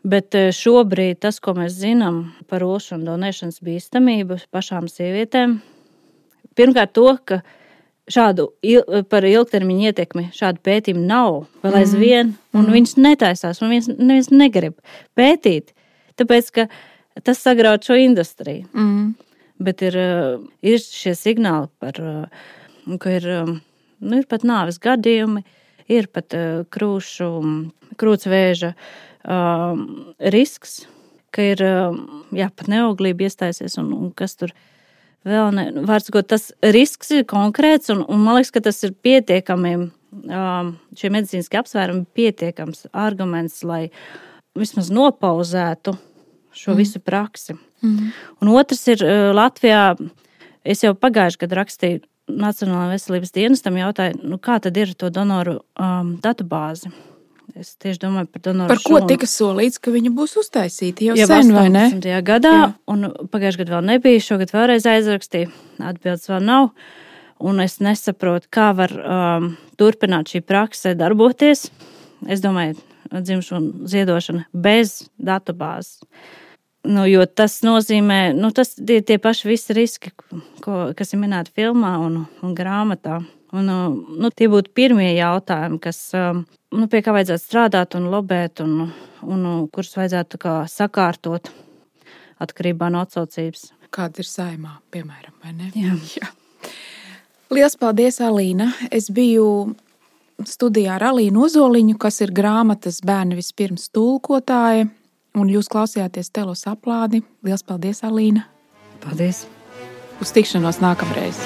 [SPEAKER 2] Bet šobrīd tas, ko mēs zinām par ošu un donēšanas bīstamību pašām sievietēm, pirmkārt to, ka šādu il, par ilgtermiņu ietekmi šādu pētījumu nav vēl aizvien, un mm. viņš netaisās, un viens, neviens negrib pētīt, tāpēc, ka tas sagraut šo industriju.
[SPEAKER 1] Mm.
[SPEAKER 2] Bet ir, ir šie signāli par, ka ir, nu, ir pat nāves gadījumi, ir pat krūšu, krūtsvēža um, risks, ka ir, jā, pat neauglība iestājusies, un, un kas tur vēl ne, vārds, ko tas risks ir konkrēts, un, un man liekas, ka tas ir pietiekami, um, šie medicīniski apsvērumi pietiekams arguments, lai vismaz nopauzētu šo mm. visu praksi. Mm. Un otrs ir Latvijā, es jau pagājuši gadu rakstīju Nacionālajā veselības dienestam, jautāju, nu kā tad ir to donoru um, datubāzi? Es tieši domāju par donoru
[SPEAKER 1] Par ko
[SPEAKER 2] šūnu.
[SPEAKER 1] tika solīts, ka viņa būs uztaisīta jau, jau sen, vai ne?
[SPEAKER 2] astoņdesmitajā gadā, jā. Un pagājuši gadu vēl nebija, šogad vēlreiz aizrakstīju, atbildes vēl nav, un es nesaprotu, kā var um, turpināt šī prakse darboties. Es domāju, dzimšanu ziedošana bez datubāzes. Nu, jo tas nozīmē, nu, tas ir tie paši visi riski, ko, kas ir minēti filmā un, un grāmatā. Un, nu, tie būtu pirmie jautājumi, kas, nu, pie kā vajadzētu strādāt un lobēt, un, un kurus vajadzētu kā sakārtot atkarībā no atsaucības.
[SPEAKER 1] Kāda ir Saeimā, piemēram, vai ne?
[SPEAKER 2] Jā.
[SPEAKER 1] Jā. Liels paldies, Alīna. Es biju studijā ar Alīnu Ozoliņu, kas ir grāmatas Bērni vispirms tulkotāja. Un jūs klausījāties Telos aplādi. Liels paldies, Alīna!
[SPEAKER 2] Paldies!
[SPEAKER 1] Uz tikšanos nākamreiz!